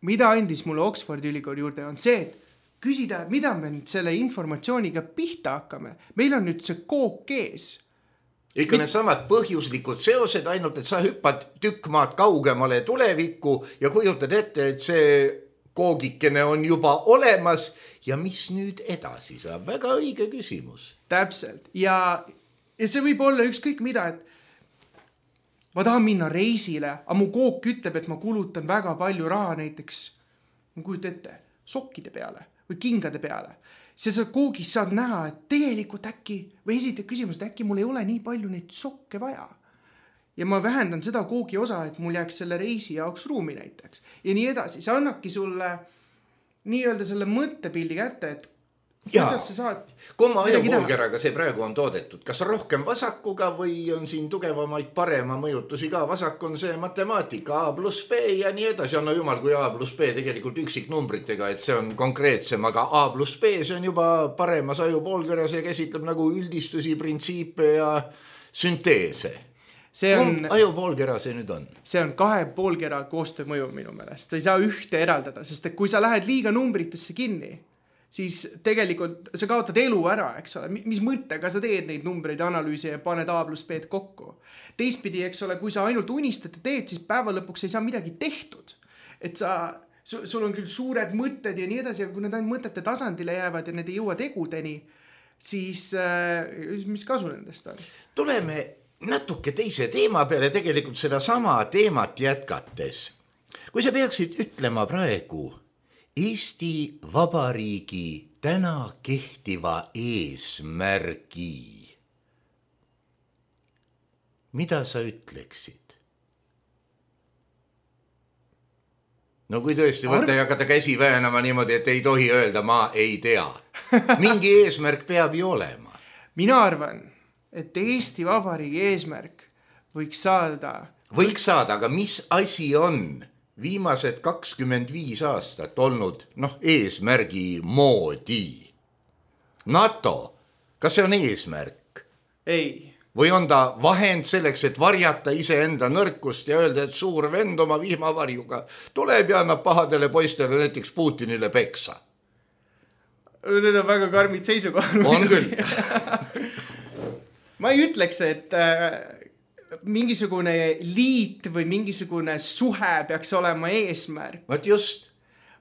mida andis mulle Oxfordi ülikooli juurde, on see, et küsida, mida me nüüd selle informatsiooniga pihta hakkame. Meil on nüüd see kook ees. Ikka need samad põhjuslikud seosed, ainult et sa hüppad tükk maad kaugemale tulevikku ja kujutad ette, et see koogikene on juba olemas ja mis nüüd edasi saab? Väga õige küsimus. Täpselt. Ja, ja see võib olla ükskõik mida, et ma tahan minna reisile, aga mu kook ütleb, et ma kulutan väga palju raha näiteks, ma kujut ette, sokkide peale või kingade peale. See sa koogis saad näha, et tegelikult äkki, või esitad küsimus, et äkki mul ei ole nii palju neid sokke vaja. Ja ma vähendan seda koogi osa, et mul jääks selle reisi jaoks ruumi näiteks. Ja nii edasi. See annabki sulle nii öelda selle mõttepildi kätte, et kuidas sa saad... Kumma ajupoolkeraga see praegu on toodetud? Kas rohkem vasakuga või on siin tugevamaid parema mõjutusi ka? Vasak on see matemaatika A pluss B ja nii edasi. No jumal, kui A pluss B tegelikult üksiknumbritega, et see on konkreetsem, aga A pluss B see on juba paremas ajupoolkeras ja käsitleb nagu üldistusi, printsiipe ja sünteese. See on, Kumb ajupoolkera see nüüd on? See on kahe poolkera koostöö mõju minu meelest. Sa ei saa ühte eraldada, sest et kui sa lähed liiga numbritesse kinni, siis tegelikult sa kaotad elu ära, eks ole. Mis mõttega sa teed neid numbreid analüüsi ja paned A plus B kokku. Teistpidi, eks ole, kui sa ainult unistad ja teed, siis päeva lõpuks ei saa midagi tehtud. Et sa, sul on küll suured mõtted ja nii edasi, ja kui need ainult mõtete tasandile jäävad ja need ei jõua tegudeni, siis mis kasu nendest on? Tuleme natuke teise teema peale, tegelikult seda sama teemat jätkates. Kui sa peaksid ütlema praegu Eesti Vabariigi täna kehtiva eesmärgi, mida sa ütleksid? No kui tõesti võtta ja hakata käsi väänama niimoodi, et ei tohi öelda, ma ei tea. Mingi eesmärk peab ju olema. Mina arvan, et Eesti Vabariigi eesmärk võiks saada... Võiks saada, aga mis asi on viimased kakskümmend viis aastat olnud noh, eesmärgi moodi? NATO, kas see on eesmärk? Ei. Või on ta vahend selleks, et varjata iseenda nõrkust ja öelda, et suur vend oma vihmavarjuga tuleb ja annab pahadele poistele näiteks Putinile peksa? Need on väga karmid seisukohad. On küll. Ma ei ütleks, et äh, mingisugune liit või mingisugune suhe peaks olema eesmärk. Vaat just.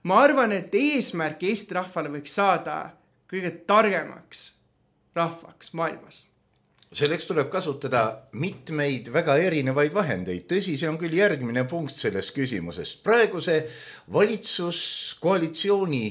Ma arvan, et eesmärk Eesti rahvale võiks saada kõige targemaks rahvaks maailmas. Selleks tuleb kasutada mitmeid väga erinevaid vahendeid. Tõsi, see on küll järgmine punkt sellest küsimusest. Praeguse valitsuskoalitsiooni,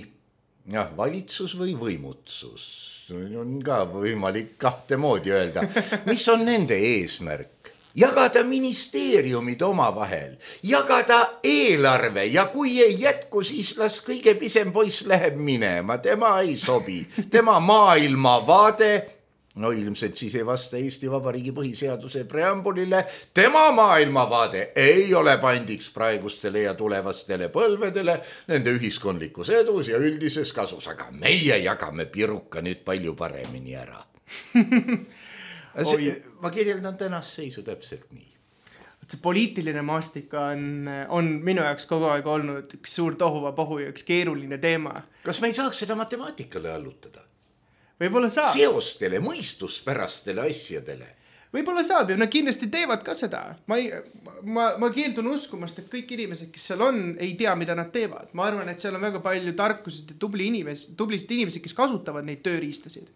jah, valitsus või võimutsus, on ka võimalik kahte moodi öelda. Mis on nende eesmärk? Jagada ministeeriumid oma vahel, jagada eelarve ja kui ei jätku, siis las kõige pisem poiss läheb minema. Tema ei sobi. Tema maailmavaade no ilmselt siis ei vasta Eesti Vabariigi põhiseaduse preambulile. Tema maailmavaade ei ole pandiks praegustele ja tulevastele põlvedele nende ühiskondlikus edus ja üldises kasus, aga meie jagame piruka nüüd palju paremini ära. See, ma kirjeldan tänast seisu täpselt nii. See poliitiline maastik on, on minu jaoks kogu aeg olnud üks suur tohuva pohu ja üks keeruline teema. Kas me ei saaks seda matemaatikale allutada? Võib-olla saab. Seostele, mõistuspärastele asjadele. Võib-olla saab ja nad kindlasti teevad ka seda. Ma, ei, ma, ma keeldun uskumast, et kõik inimesed, kes seal on, ei tea, mida nad teevad. Ma arvan, et seal on väga palju tarkused ja tubli inimes, tublisid inimesed, kes kasutavad neid tööriistasid.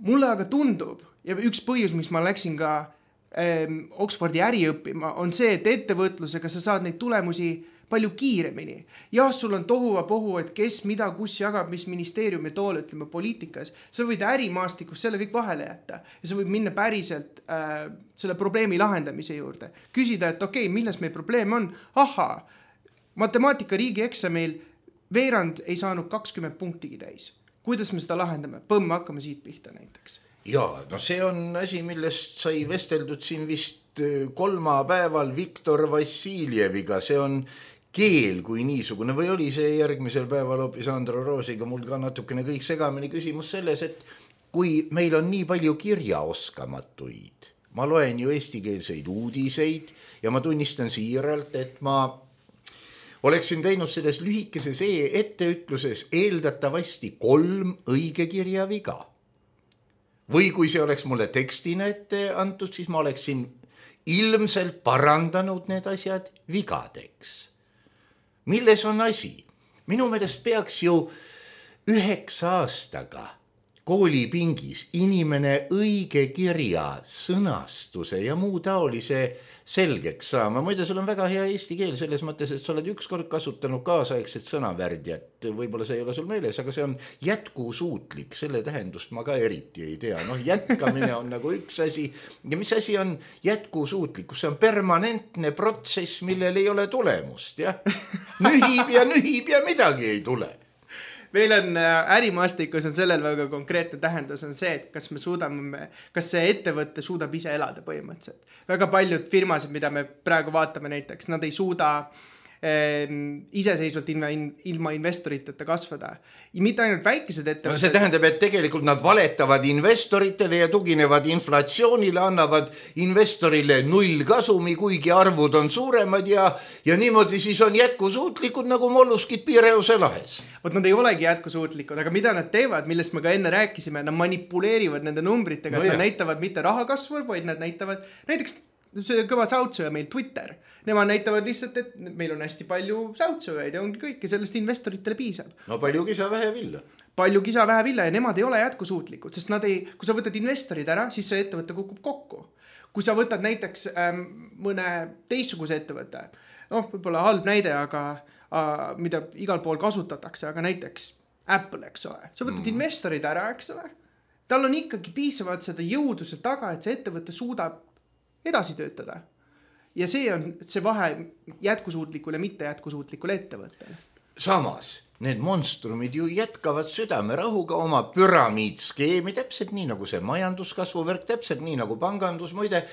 Mulle aga tundub, ja üks põhjus, mis ma läksin ka ähm, Oxfordi äri õppima, on see, et ettevõtlusega sa saad neid tulemusi palju kiiremini. Jah, sul on tohuva pohu, et kes mida kus jagab, mis ministeeriumi tool, ütleme poliitikas. Sa võid ärimaastikus selle kõik vahele jätta ja sa võid minna päriselt äh, selle probleemi lahendamise juurde. Küsida, et okei, okay, milles meil probleem on? Aha, matemaatika riigi eksamil veerand ei saanud kakskümmend punktigi täis. Kuidas me seda lahendame? Põmm, hakkame siit pihta näiteks. Jaa, no see on asi, millest sai vesteldud siin vist kolmapäeval Viktor Vassiljeviga. See on keel kui niisugune või oli see järgmisel päeval hoopis Andro Roosiga mul ka natukene kõik segamini küsimus selles, et kui meil on nii palju kirjaoskamatuid, ma loen ju eestikeelseid uudiseid ja ma tunnistan siiralt, et ma oleksin teinud selles lühikeses etteütluses eeldatavasti kolm õigekirja viga. Või kui see oleks mulle tekstina ette antud, siis ma oleksin ilmselt parandanud need asjad vigadeks. Milles on asi? Minu meelest peaks ju üheksa aastaga koolipingis inimene õige kirja, sõnastuse ja muu taolise selgeks saama. Muide, sul on väga hea eesti keel selles mõttes, et sa oled ükskord kasutanud kaasaegset sõnavärdjat. Võib-olla see ei ole sul meeles, aga see on jätkusuutlik. Selle tähendust ma ka eriti ei tea. Noh, jätkamine on nagu üks asi. Ja mis asi on jätkusuutlikkus? See on permanentne protsess, millel ei ole tulemust. Ja? Nühib ja nühib ja midagi ei tule. Meil on ärimaastikus on sellel väga konkreetne tähendus on see, et kas me suudame, kas see ettevõtte suudab ise elada põhimõtteliselt. Väga paljud firmasid, mida me praegu vaatame näiteks, nad ei suuda eh, iseseisvalt ilma, ilma investoriteta kasvada. Ja mitte ainult väikesed ettevõtted. No see tähendab, et tegelikult nad valetavad investoritele ja tuginevad inflatsioonile, annavad investorile null kasumi, kuigi arvud on suuremad ja, ja niimoodi siis on jätkusuutlikud nagu molluskid Piireuse lahes. Vot nad ei olegi jätkusuutlikud, aga mida nad teevad, millest me ka enne rääkisime, nad manipuleerivad nende numbritega, no, et nad näitavad mitte rahakasvu, vaid nad näitavad näiteks see kõva säutsöja meil Twitter. Nemad näitavad lihtsalt, et meil on hästi palju säutsöjaid ja ongi kõik ja sellest investoritele piisab. No palju kisa vähe villa. Palju kisa vähe villa ja nemad ei ole jätkusuutlikud, sest nad ei, kui sa võtad investorid ära, siis see ettevõte kukub kokku. Kui sa võtad näiteks ähm, mõne teistsuguse ettevõtte, noh, võib-olla halb näide, aga äh, mida igal pool kasutatakse, aga näiteks Apple, eks ole. Sa võtad mm. investorid ära, eks ole. Tal on ikkagi piisavalt seda jõuduse taga, et see ettevõte suudab edasi töötada. Ja see on see vahe jätkusuutlikule, mitte jätkusuutlikule ettevõttele. Samas, need monstrumid ju jätkavad südamerahuga oma püramiidskeemi, täpselt nii nagu see majanduskasvuvärk, täpselt nii nagu pangandus. Muide,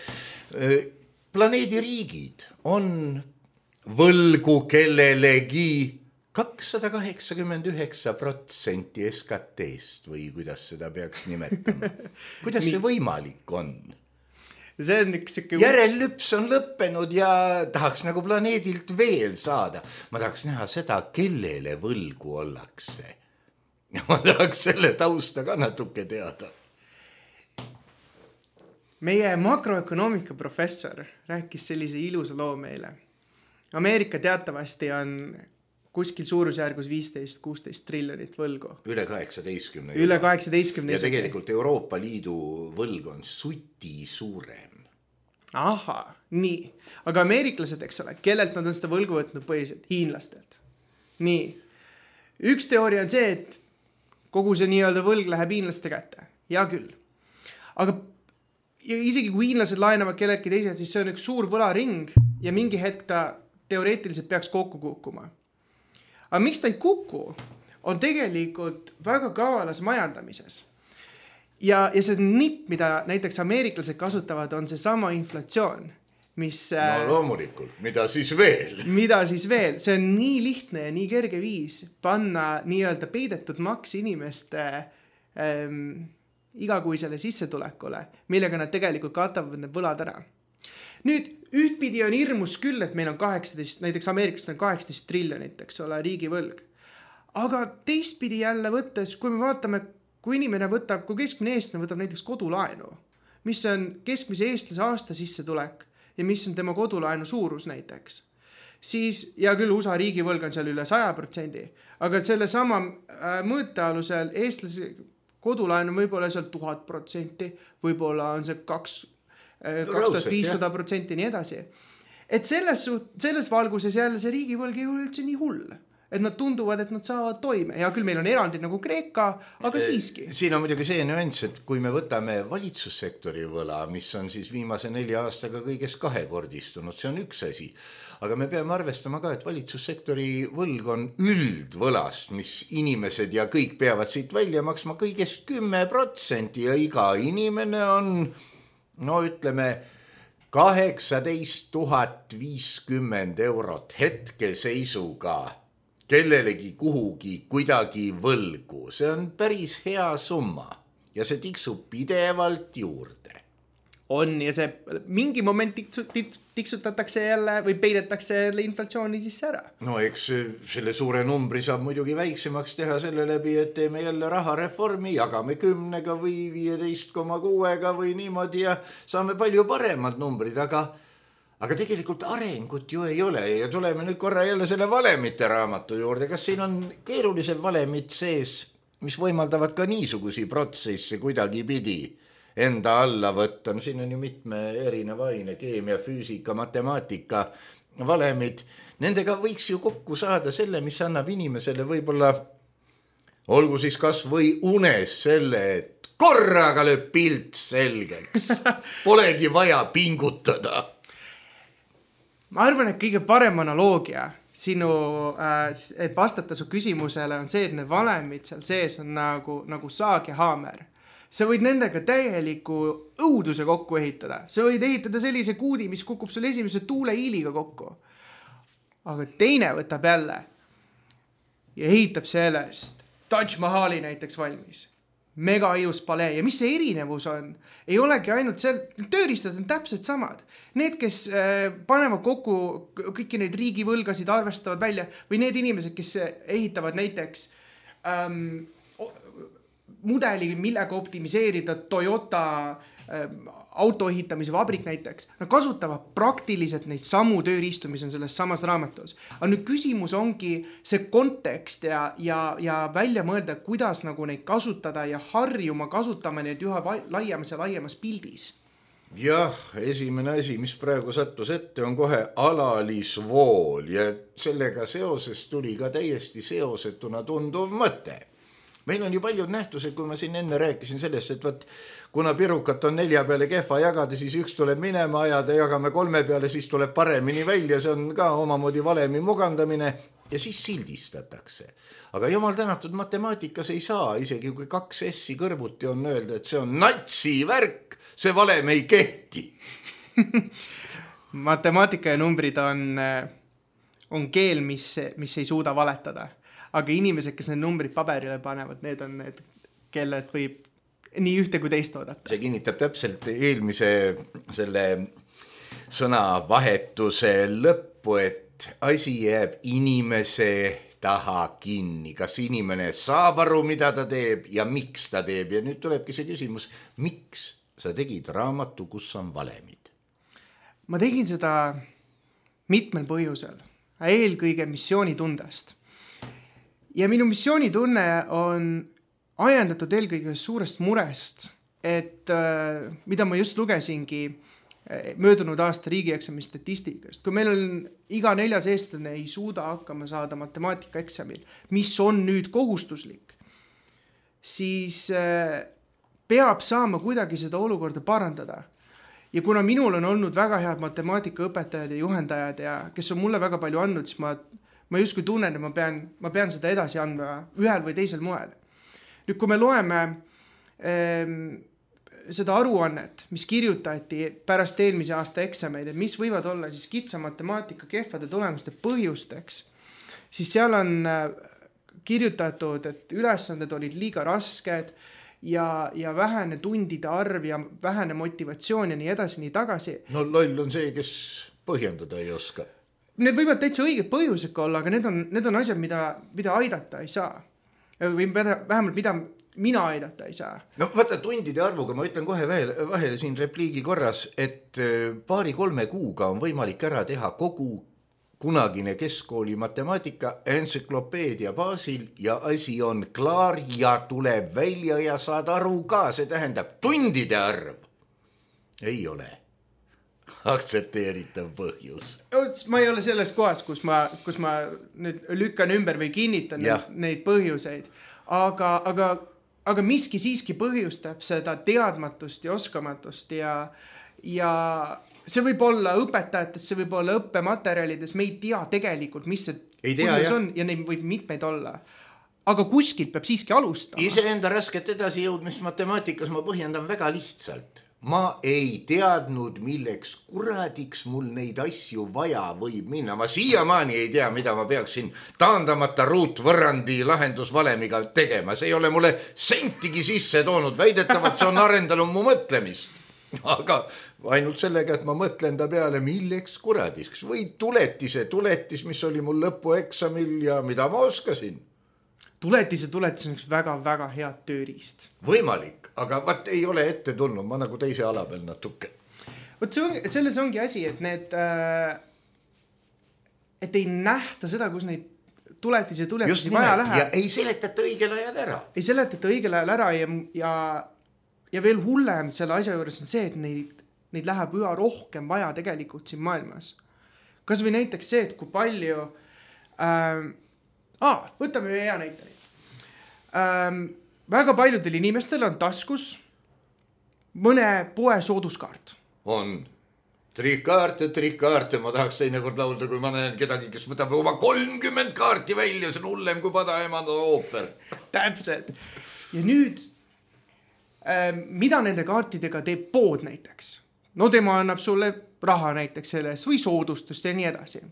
planeedi riigid on võlgu kellelegi kakssada kaheksakümmend üheksa protsenti S K T-st või kuidas seda peaks nimetama. Kuidas see võimalik on? See on üks siuke... Järellüps on lõppenud ja tahaks nagu planeedilt veel saada. Ma tahaks näha seda, kellele võlgu ollakse. Ja ma tahaks selle tausta ka natuke teada. Meie makroökonoomika professor rääkis sellise ilusa loo meile. Ameerika teatavasti on kuskil suurusjärgus viisteist kuusteist triljonit võlgu. Üle kaheksateistkümne. Üle kaheksateistkümne. Ja tegelikult Euroopa Liidu võlg on suti suurem. Aha, nii. Aga ameeriklased, eks ole, kellelt nad on seda võlgu võtnud põhiliselt? Hiinlastelt. Nii. Üks teooria on see, et kogu see nii-öelda võlg läheb hiinlaste kätte. Ja küll. Aga isegi kui hiinlased laenavad kelleltki teised, siis see on üks suur võlaring ja mingi hetk ta teoreetiliselt peaks kokku kukkuma. Aga miks ta ei kuku, on tegelikult väga kavalas majandamises. ja, ja see nipp, mida näiteks ameeriklased kasutavad, on see sama inflatsioon, mis... No loomulikult, mida siis veel? Mida siis veel? See on nii lihtne ja nii kerge viis panna nii-öelda peidetud maks inimeste ähm, igakuisele sissetulekule, millega nad tegelikult katavad need võlad ära. Nüüd, ühtpidi on hirmus küll, et meil on kaheksateist, näiteks Ameerikast on kaheksateist triljonit, eks ole, riigivõlg. Aga teistpidi jälle võttes, kui me vaatame, kui inimene võtab, kui keskmine eestlane võtab näiteks kodulaenu, mis on keskmise eestlase aasta sissetulek ja mis on tema kodulaenu suurus näiteks, siis, ja küll U S A riigivõlg on seal üle saja protsendi, aga selle sama mõõtealusel eestlase kodulaenu võib-olla seal tuhat protsenti, võib-olla on see kaks kaks tuhat viissada protsenti nii edasi. Et selles, suht, selles valguses jälle see riigivõlg ei ole üldse nii hull. Et nad tunduvad, et nad saavad toime. Ja küll meil on erandid nagu Kreeka, aga siiski. Siin on muidugi see nüanss, et kui me võtame valitsussektori võla, mis on siis viimase nelja aastaga kõigest kahekordistunud, see on üks asi. Aga me peame arvestama ka, et valitsussektori võlg on üldvõlast, mis inimesed ja kõik peavad siit välja maksma kõigest kümme protsenti ja iga inimene on... no ütleme kaheksateist tuhat viiskümmend eurot hetkeseisuga kellelegi kuhugi kuidagi võlgu. See on päris hea summa ja see tiksub pidevalt juurde. On ja see mingi moment tiksutatakse jälle või peidetakse jälle inflatsiooni sisse ära. No eks selle suure numbri saab muidugi väiksemaks teha selle läbi, et teeme jälle rahareformi, jagame kümnega või viieteist koma kuuega või niimoodi ja saame palju paremad numbrid, aga, aga tegelikult arengut ju ei ole ja tuleme nüüd korra jälle selle valemite raamatu juurde. Kas siin on keerulised valemid sees, mis võimaldavad ka niisugusi protsesse kuidagi pidi enda alla võtta? No siin on ju mitme erineva aine, keemia, füüsika, matemaatika, valemid. Nendega võiks ju kokku saada selle, mis annab inimesele võib-olla, olgu siis kas või unes selle, et korraga lööb pilt selgeks. Polegi vaja pingutada. Ma arvan, et kõige parem analoogia sinu, et vastata su küsimusele on see, et need valemid seal sees on nagu, nagu saag ja haamer. Sa võid nendega täieliku õuduse kokku ehitada. Sa võid ehitada sellise kuudi, mis kukub sul esimese tuuleiiliga kokku. Aga teine võtab jälle ja ehitab sellest Taj Mahali näiteks valmis. Mega ilus palee. Ja mis see erinevus on? Ei olegi ainult seal, tööriistad on täpselt samad. Need, kes panevad kokku kõiki neid riigivõlgasid, arvestavad välja, või need inimesed, kes ehitavad näiteks ähm, mudeli, millega optimiseerida Toyota äh, auto ehitamise vabrik näiteks. Nad kasutavad praktiliselt neid samu tööriistu, mis on selles samas raamatus. Aga nüüd küsimus ongi see kontekst ja, ja, ja välja mõelda, kuidas nagu neid kasutada ja harjuma kasutama neid üha laiemas ja laiemas pildis. Jah, esimene asi, mis praegu sattus ette, on kohe alalisvool ja sellega seoses tuli ka täiesti seosetuna tunduv mõte. Meil on ju paljud nähtused, kui ma siin enne rääkisin sellest, et võt, kuna pirukat on nelja peale kehva jagada, siis üks tuleb minema ajada, jagame kolme peale, siis tuleb paremini välja, see on ka omamoodi valemi mugandamine ja siis sildistatakse. Aga jumal tänatud matemaatikas ei saa, isegi kui kaks S-i kõrvuti on öelda, et see on natsi värk, see valem ei kehti. Matemaatika ja numbrid on, on keel, mis, mis ei suuda valetada. Aga inimesed, kes need numbrid paberile panevad, need on need, kelled võib nii ühte kui teist oodata. See kinnitab täpselt eelmise selle sõnavahetuse lõppu, et asi jääb inimese taha kinni. Kas inimene saab aru, mida ta teeb ja miks ta teeb? Ja nüüd tulebki see küsimus, miks sa tegid raamatu, kus on valemid? Ma tegin seda mitmel põhjusel. Eelkõige missioonitundest. Ja minu missioonitunne on ajendatud eelkõige suurest murest, et äh, mida ma just lugesingi möödunud aasta riigieksami statistikast. Kui meil on iga neljas eestlane ei suuda hakkama saada matemaatikaeksamil, mis on nüüd kohustuslik, siis äh, peab saama kuidagi seda olukorda parandada. Ja kuna minul on olnud väga head matemaatikaõpetajad ja juhendajad, ja kes on mulle väga palju andnud, siis ma Ma justkui tunnen, et ma pean, ma pean seda edasi andma ühel või teisel moel. Nüüd, kui me loeme seda aruannet, mis kirjutati pärast eelmise aasta eksameid, et mis võivad olla siis kitsa matemaatika kehvade tulemuste põhjusteks, siis seal on kirjutatud, et ülesanded olid liiga rasked ja, ja vähene tundide arv ja vähene motivatsioon ja nii edasi, nii tagasi. No loll on see, kes põhjendada ei oska. Need võivad täitsa õiged põhjused olla, aga need on, need on asjad, mida, mida aidata ei saa. Või vähemalt mida mina aidata ei saa. No vaata, tundide arvuga ma ütlen kohe vahele, vahele siin repliigi korras, et paari-kolme kuuga on võimalik ära teha kogu kunagine keskkooli matemaatika entsüklopeedia baasil ja asi on klaar ja tuleb välja ja saad aru ka. See tähendab, tundide arv ei ole aktsepteeritav põhjus. Ma ei ole selles kohas, kus ma, kus ma nüüd lükkan ümber või kinnitan ja. neid põhjuseid, aga, aga aga miski siiski põhjustab seda teadmatust ja oskamatust ja, ja see võib olla õpetajates, see võib olla õppematerjalides, me ei tea tegelikult, mis see ei tea, põhjus on ja neid võib mitmeid olla. Aga kuskilt peab siiski alustama. Iseenda rasket edasi jõudmist matemaatikas ma põhjendan väga lihtsalt. Ma ei teadnud, milleks kuradiks mul neid asju vaja võib minna. Ma siiamaani ei tea, mida ma peaksin taandamata ruutvõrrandi lahendusvalemiga tegema. See ei ole mulle sentigi sisse toonud. Väidetavalt see on arendanud mu mõtlemist. Aga ainult sellega, et ma mõtlen ta peale, milleks kuradiks. Või tuletise tuletis, mis oli mul lõpueksamil ja mida ma oskasin. Tuletis ja tuletis on üks väga-väga head tööriist. Võimalik, aga vaat ei ole ette tulnud, ma nagu teise ala peal natuke. Võt see on, selles ongi asi, et need, et ei nähta seda, kus neid tuletis ja tuletisi vaja läheb. Ja ei seletata õigel ajal ära. Ei seletata õigel ajal ära ja, ja, ja veel hullem selle asja juures on see, et neid, neid läheb üha rohkem vaja tegelikult siin maailmas. Kas või näiteks see, et kui palju... Äh, Aa, võtame ühe hea näiteni. Ähm, väga paljudel inimestel on taskus mõne poe sooduskaart. On. Trikaarte, trikaarte. Ma tahaks teinekord laulda, kui ma näen kedagi, kes võtab oma kolmkümmend kaarti välja. See on hullem kui Padaemanda ooper. Täpselt. Ja nüüd, ähm, mida nende kaartidega teeb pood näiteks? No tema annab sulle raha näiteks selles või soodustust ja nii edasi.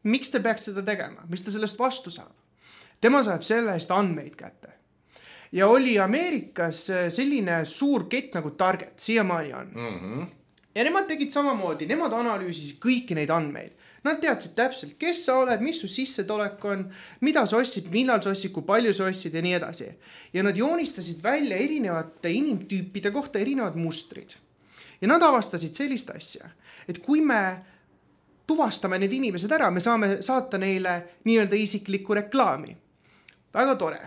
Miks te peaks seda tegema? Mis ta sellest vastu saab? Tema saab selle eest andmeid kätte. Ja oli Ameerikas selline suur kett nagu Target, siiamaani on. Mm-hmm. Ja nemad tegid samamoodi, nemad analüüsisid kõiki neid andmeid. Nad teadsid täpselt, kes sa oled, mis su sissetulek on, mida sa ossid, millal sa ossid, kui palju sa ossid ja nii edasi. Ja nad joonistasid välja erinevate inimtüüpide kohta erinevad mustrid. Ja nad avastasid sellist asja, et kui me tuvastame need inimesed ära, me saame saata neile nii-öelda isiklikku reklaami. Väga tore.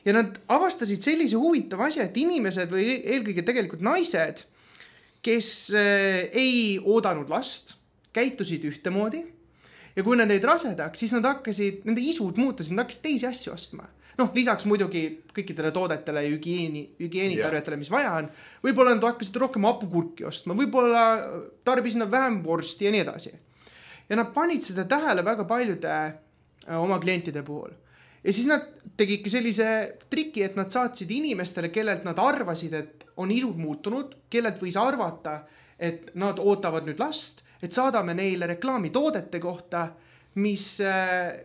Ja nad avastasid sellise huvitava asja, et inimesed või eelkõige tegelikult naised, kes ei oodanud last, käitusid ühtemoodi ja kui nad neid rasedaks, siis nad hakkasid, nende isud muutusid, nad hakkasid teisi asju ostma. Noh, lisaks muidugi kõikidele toodetele ja hügieeni, hügieenitarvetele, mis vaja on, võib-olla nad hakkasid rohkem hapukurki ostma, võib-olla tarbisid nad vähem vorsti ja nii edasi. Ja nad panid seda tähele väga paljude oma klientide puhul. Ja siis nad tegidki sellise triki, et nad saatsid inimestele, kellelt nad arvasid, et on isud muutunud, kellelt võis arvata, et nad ootavad nüüd last, et saadame neile reklaami toodete kohta, mis,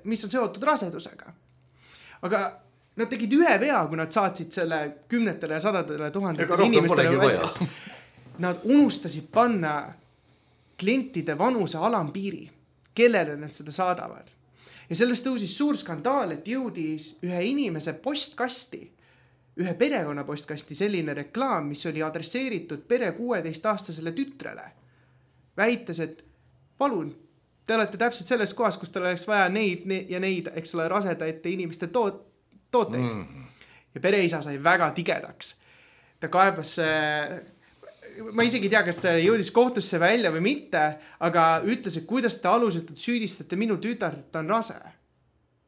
mis on seotud rasedusega. Aga nad tegid ühe vea, kui nad saatsid selle kümnetele ja sadadele tuhandetele inimestele. Nad unustasid panna klientide vanuse alampiiri, kellele nad seda saadavad. Ja sellest tõusis suur skandaal, et jõudis ühe inimese postkasti, ühe perekonna postkasti selline reklaam, mis oli adresseeritud pere kuueteistaastasele tütrele. Väites, et palun, te olete täpselt selles kohas, kus teil oleks vaja neid ja neid, eks ole, rasedaite inimeste toot, tooteid. Mm. Ja pereisa sai väga tigedaks. Ta kaebas... Ma isegi tea, kas ta jõudis kohtusse välja või mitte, aga ütles, et kuidas te alusetult süüdistate minu tütart, et ta on rase.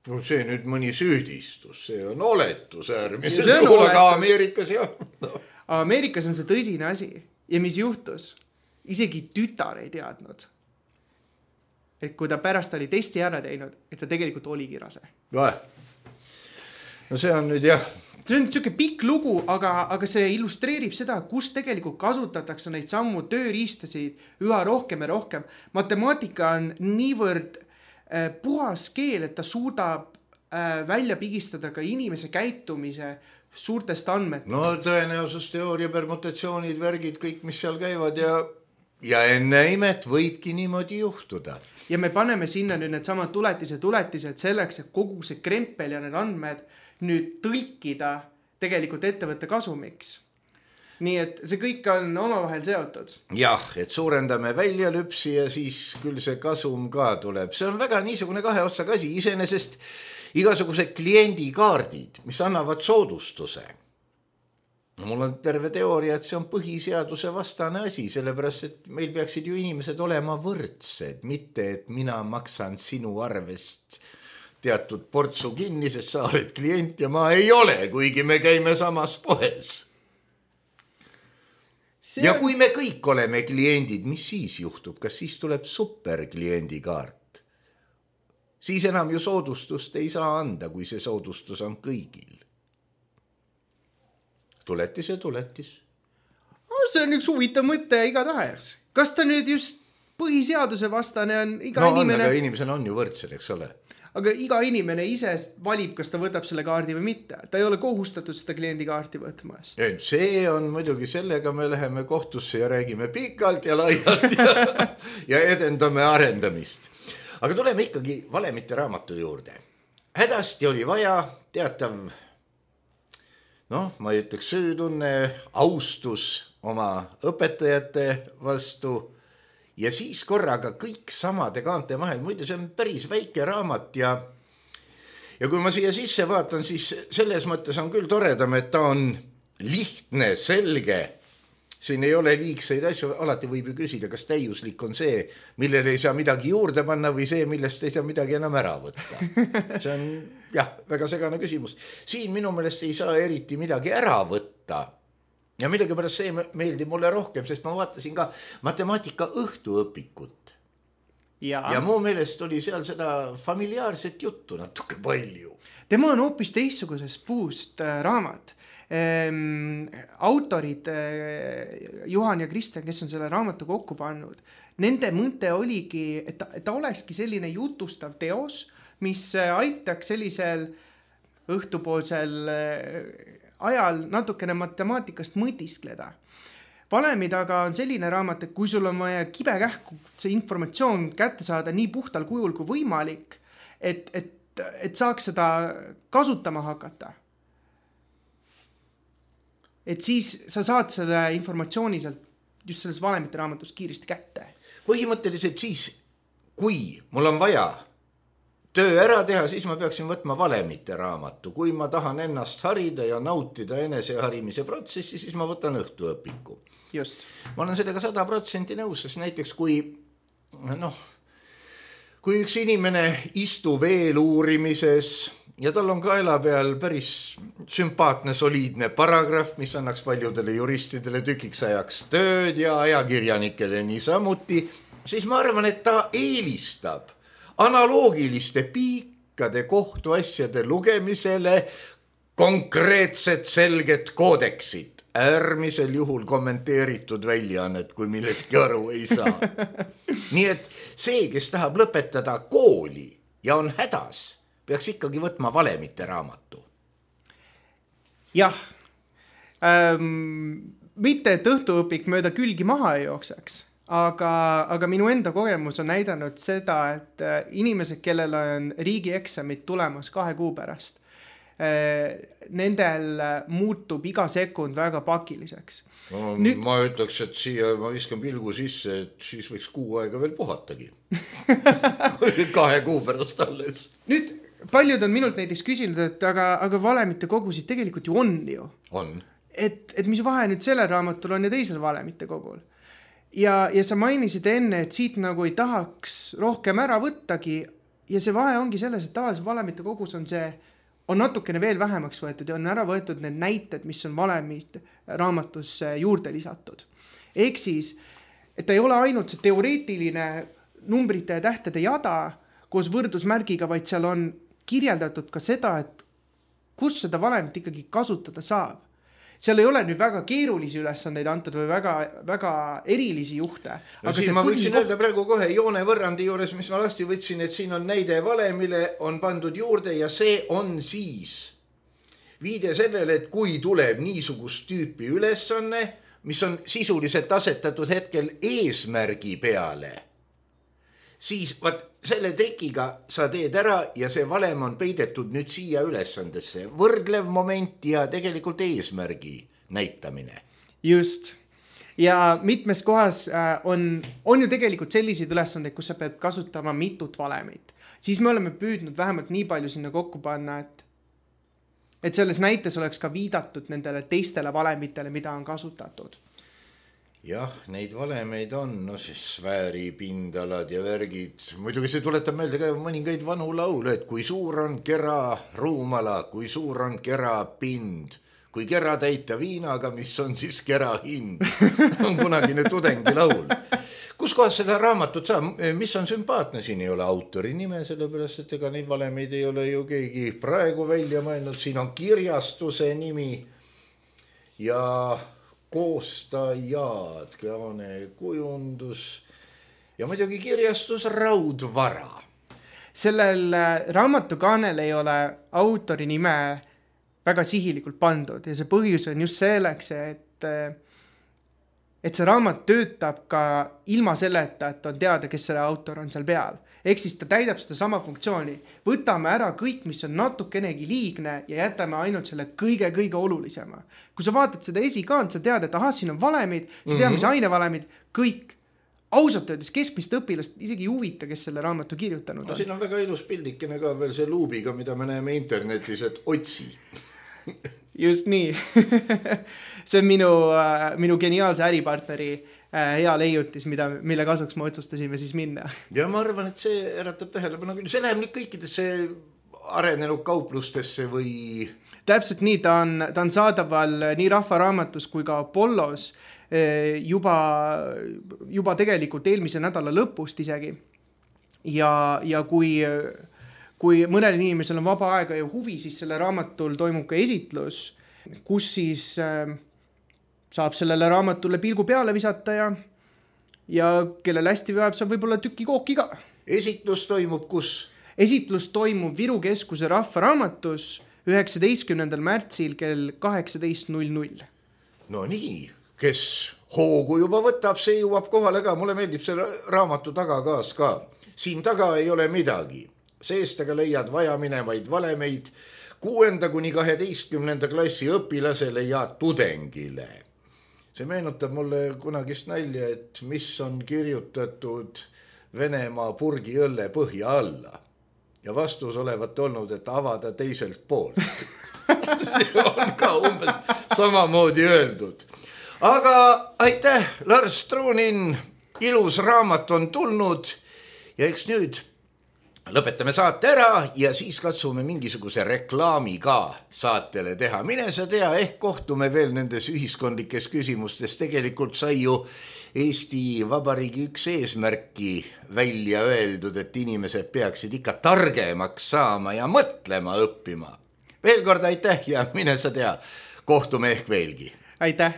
No see nüüd mõni süüdistus, see on oletus äärmiselt juhul, aga Ameerikas jah. No. Ameerikas on see tõsine asi ja mis juhtus? Isegi tütar ei teadnud, et kui ta pärast oli testi ära teinud, et ta tegelikult oligi rase. Vahe. No see on nüüd jah, see on niisugune pikk lugu, aga, aga see illustreerib seda, kus tegelikult kasutatakse neid sammu tööriistasid üha rohkem ja rohkem. Matemaatika on niivõrd äh, puhas keel, et ta suudab äh, välja pigistada ka inimese käitumise suurtest andmetest. No tõenäosusteooria, permutatsioonid, värgid, kõik, mis seal käivad ja, ja enne imet võibki niimoodi juhtuda. Ja me paneme sinna nüüd need samad tuletised, tuletised selleks, et kogu see krempel ja need andmed nüüd tõlkida tegelikult ettevõtte kasumiks. Nii et see kõik on omavahel seotud. Jah, et suurendame väljalüpsi ja siis küll see kasum ka tuleb. See on väga niisugune kahe otsaga asi. Iseenesest igasugused kliendikaardid, mis annavad soodustuse. Mul on terve teooria, et see on põhiseaduse vastane asi, sellepärast, et meil peaksid ju inimesed olema võrdsed, mitte et mina maksan sinu arvest teatud portsu kinni, sest sa oled klient ja ma ei ole, kuigi me käime samas poes. See... Ja kui me kõik oleme kliendid, mis siis juhtub? Kas siis tuleb superkliendikaart? Siis enam ju soodustust ei saa anda, kui see soodustus on kõigil. Tuletis ja tuletis. No, see on üks huvitav mõte iga tahes. Kas ta nüüd just põhiseaduse vastane on iga no, inimene? No, aga inimesena on ju võrdsel, eks ole. Aga iga inimene ise valib, kas ta võtab selle kaardi või mitte. Ta ei ole kohustatud seda kliendikaarti võtmast. See on muidugi, sellega me läheme kohtusse ja räägime pikalt ja laialt ja, ja edendame arendamist. Aga tuleme ikkagi valemite raamatu juurde. Hädasti oli vaja teatav, noh, ma ei ütleks süütunne, austus oma õpetajate vastu ja siis korraga kõik samade kaante vahel. Muidu see on päris väike raamat ja, ja kui ma siia sisse vaatan, siis selles mõttes on küll toredam, et ta on lihtne, selge. Siin ei ole liigseid asju, alati võib ju küsida, kas täiuslik on see, millele ei saa midagi juurde panna või see, millest ei saa midagi enam ära võtta. See on jah, väga segane küsimus. Siin minu meelest ei saa eriti midagi ära võtta. Ja millegi pärast see meeldib mulle rohkem, sest ma vaatasin ka matemaatika õhtuõpikut. Ja, ja mu meelest oli seal seda familiaarset juttu natuke palju. Tema on hoopis teistsugusest puust raamat. Ehm, autorid Juhan ja Kristjan, kes on selle raamatu kokku pannud, nende mõte oligi, et ta, et ta olekski selline jutustav teos, mis aitaks sellisel õhtupoolsel ajal natukene matemaatikast mõtiskleda. Valemi taga on selline raamat, et kui sul on vaja kibekähku see informatsioon kätte saada nii puhtal kujul kui võimalik, et, et, et saaks seda kasutama hakata. Et siis sa saad selle informatsiooni sealt just selles valemite raamatust kiiresti kätte. Põhimõtteliselt siis, kui mul on vaja töö ära teha, siis ma peaksin võtma valemite raamatu. Kui ma tahan ennast harida ja nautida eneseharimise protsessi, siis ma võtan õhtuõpiku. Just. Ma olen sellega sada protsenti nõus, sest näiteks kui, noh, kui üks inimene istub eeluurimises ja tal on kaela peal päris sümpaatne, soliidne paragrahv, mis annaks paljudele juristidele tükiks ajaks tööd ja ajakirjanikele niisamuti, siis ma arvan, et ta eelistab analoogiliste pikkade kohtuasjade lugemisele konkreetset selget koodeksit, äärmisel juhul kommenteeritud väljaannet, kui millestki aru ei saa. Nii et see, kes tahab lõpetada kooli ja on hädas, peaks ikkagi võtma valemite raamatu. Jah, ähm, mitte et õhtuõpik mööda külgi maha ei jookseks. Aga, aga minu enda kogemus on näidanud seda, et inimesed, kellel on riigieksamid tulemas kahe kuu pärast, nendel muutub iga sekund väga pakiliseks. No, Nüüd... Ma ütleks, et siia ma viskan pilgu sisse, et siis võiks kuu aega veel puhatagi. kahe kuu pärast alles. Nüüd paljud on minult näiteks küsinud, et aga, aga valemite kogusid tegelikult ju on ju. On. Et, et mis vahe nüüd sellel raamatul on ja teisel valemite kogul. Ja, ja sa mainisid enne, et siit nagu ei tahaks rohkem ära võttagi ja see vahe ongi selles, et tavaliselt valemite kogus on see, on natukene veel vähemaks võetud ja on ära võetud need näited, mis on valemid raamatusse juurde lisatud. Ehk siis, et ta ei ole ainult see teoreetiline numbrite ja tähtede jada koos võrdusmärgiga, vaid seal on kirjeldatud ka seda, et kus seda valemit ikkagi kasutada saab. Seal ei ole nüüd väga keerulisi ülesandeid antud või väga, väga erilisi juhte. No aga siin ma võiksin öelda praegu kohe joone võrrandi juures, mis ma lasti võtsin, et siin on näide valemile, on pandud juurde ja see on siis viide sellele, et kui tuleb niisugust tüüpi ülesanne, mis on sisuliselt asetatud hetkel eesmärgi peale, siis vaat selle trikiga sa teed ära ja see valem on peidetud nüüd siia ülesandesse. Võrdlev moment ja tegelikult eesmärgi näitamine. Just. Ja mitmes kohas on, on ju tegelikult selliseid ülesandeid, kus sa pead kasutama mitut valemit. Siis me oleme püüdnud vähemalt nii palju sinna kokku panna, et, et selles näites oleks ka viidatud nendele teistele valemitele, mida on kasutatud. Jah, neid valemeid on, no siis sfääripindalad ja värgid. Muidugi see tuletab meelde ka mõningaid vanu laule, et kui suur on kera ruumala, kui suur on kera pind, kui kera täita viinaga, mis on siis kera hind. On kunagine tudengi laul. Kus kohas seda raamatut saab? Mis on sümpaatne? Siin ei ole autori nime, sellepärast, et ega neid valemeid ei ole ju keegi praegu välja mõelnud. Siin on kirjastuse nimi ja koostajad, Keane kujundus ja muidugi kirjastus Raudvara. Sellel raamatukaanel ei ole autori nime väga sihilikult pandud ja see põhjus on just selleks, et, et see raamat töötab ka ilma selleta, et on teada, kes selle autor on seal peal. Ehk siis ta täidab seda sama funktsiooni. Võtame ära kõik, mis on natukenegi liigne ja jätame ainult selle kõige-kõige olulisema. Kui sa vaatad seda esikaant, sa tead, et aha, siin on valemid, sa tead, mis ainevalemid, kõik. Ausalt öeldes keskmist õpilast isegi ei huvita, kes selle raamatu kirjutanud on. No, siin on väga ilus pildikene ka veel see luubiga, mida me näeme internetis, et otsi. Just nii. See on minu, minu geniaalse äripartneri hea leiutis, mida, mille kasuks me otsustasime siis minna. Ja ma arvan, et see äratab tähelepanu küll. See läheb nüüd kõikidesse arenenud kauplustesse või... Täpselt nii, ta on, ta on saadaval nii Rahvaraamatus kui ka Apollos juba, juba tegelikult eelmise nädala lõpust isegi. Ja, ja kui, kui mõnel inimesel on vaba aega ja huvi, siis selle raamatul toimub ka esitlus, kus siis... saab sellele raamatule pilgu peale visata ja, ja kellel hästi veab, saab võib-olla tüki kooki ka. Esitlus toimub kus? Esitlus toimub Viru Keskuse Rahvaraamatus üheksateistkümnendal märtsil kell kaheksateist null null. No nii, kes hoogu juba võtab, see jõuab kohale ka. Mulle meeldib see raamatu tagakaas ka. Siin taga ei ole midagi. Seest aga leiad vajaminevaid valemeid kuuenda kuni kaheteistkümnenda klassi õpilasele ja tudengile. See meenutab mulle kunagist nalja, et mis on kirjutatud Venemaa purgi õlle põhja alla. Ja vastus olevat olnud, et avada teiselt poolt. See on ka umbes samamoodi öeldud. Aga aitäh, Lars Truunin, ilus raamat on tulnud ja eks nüüd lõpetame saate ära ja siis katsume mingisuguse reklaami ka saatele teha. Mine sa tea, ehk kohtume veel nendes ühiskondlikes küsimustes. Tegelikult sai ju Eesti Vabariigi üks eesmärki välja öeldud, et inimesed peaksid ikka targemaks saama ja mõtlema õppima. Veel kord aitäh ja mine sa tea, kohtume ehk veelgi. Aitäh!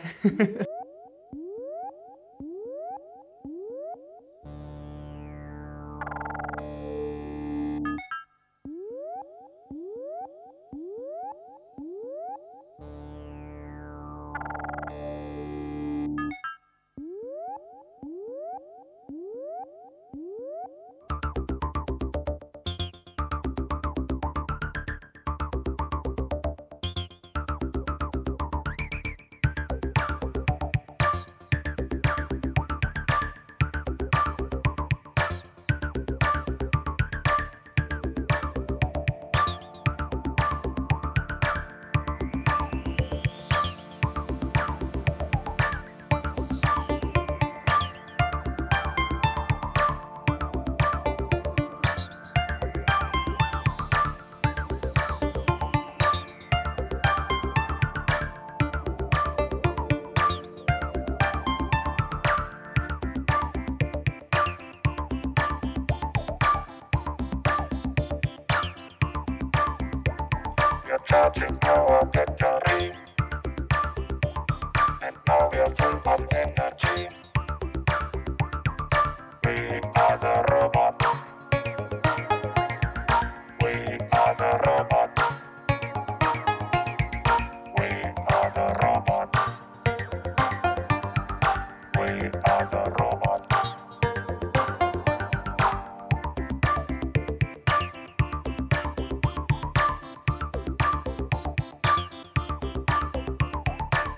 charging our battery. And now we are full of energy. We are the robots. We are the robots. We are the robots. We are the robots.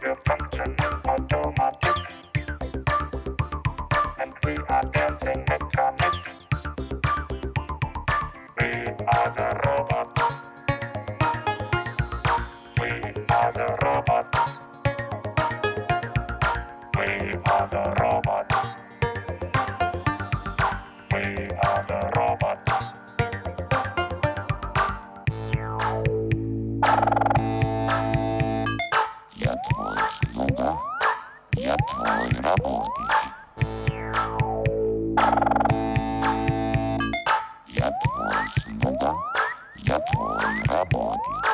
We're functioning automatic, and we are dancing mechanic. We are the robots. We are the robots. We are the robots. We are the robots. Я твой слуга, я твой работник. Я твой слуга, я твой работник.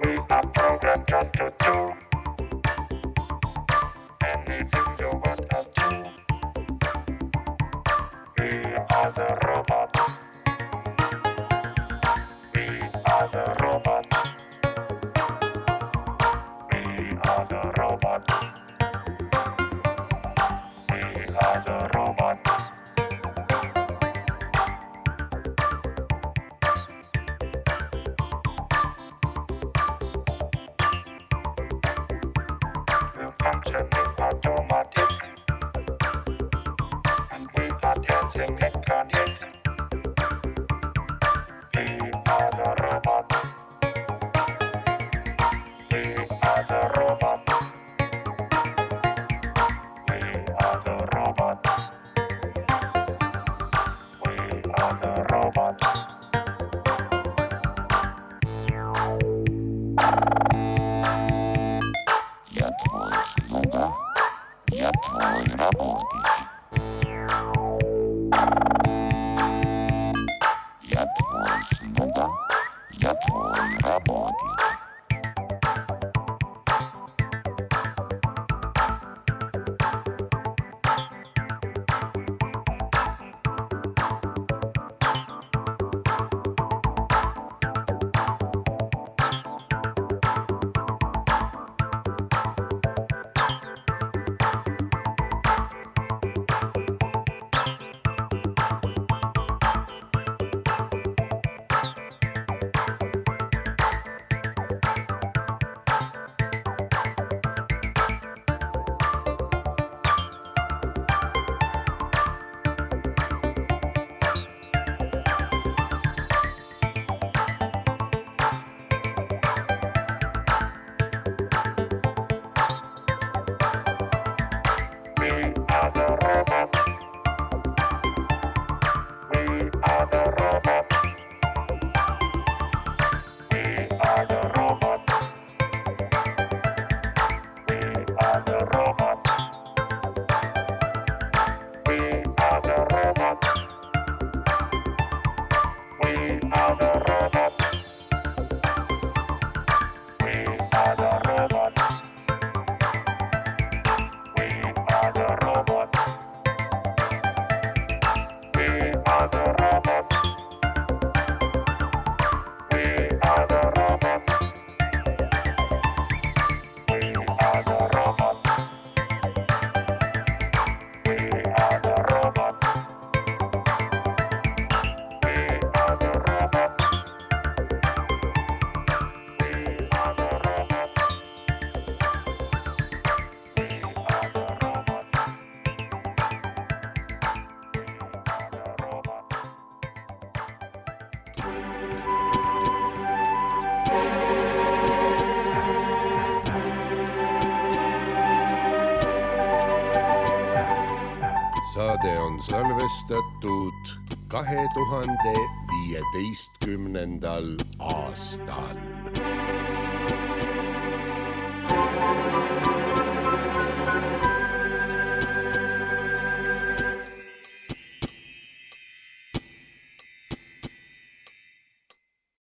We are programmed just to do anything you want us to. We are the robots. We are the robots. We are the robots. We are the robots. We're functioning automatic, and we are dancing mechanic. We are the robots. We are the robots. We are the robots. We are the robots. Я твой слуга, я твой работник. saade on salvestatud kahe tuhande viieteistkümnendal aastal.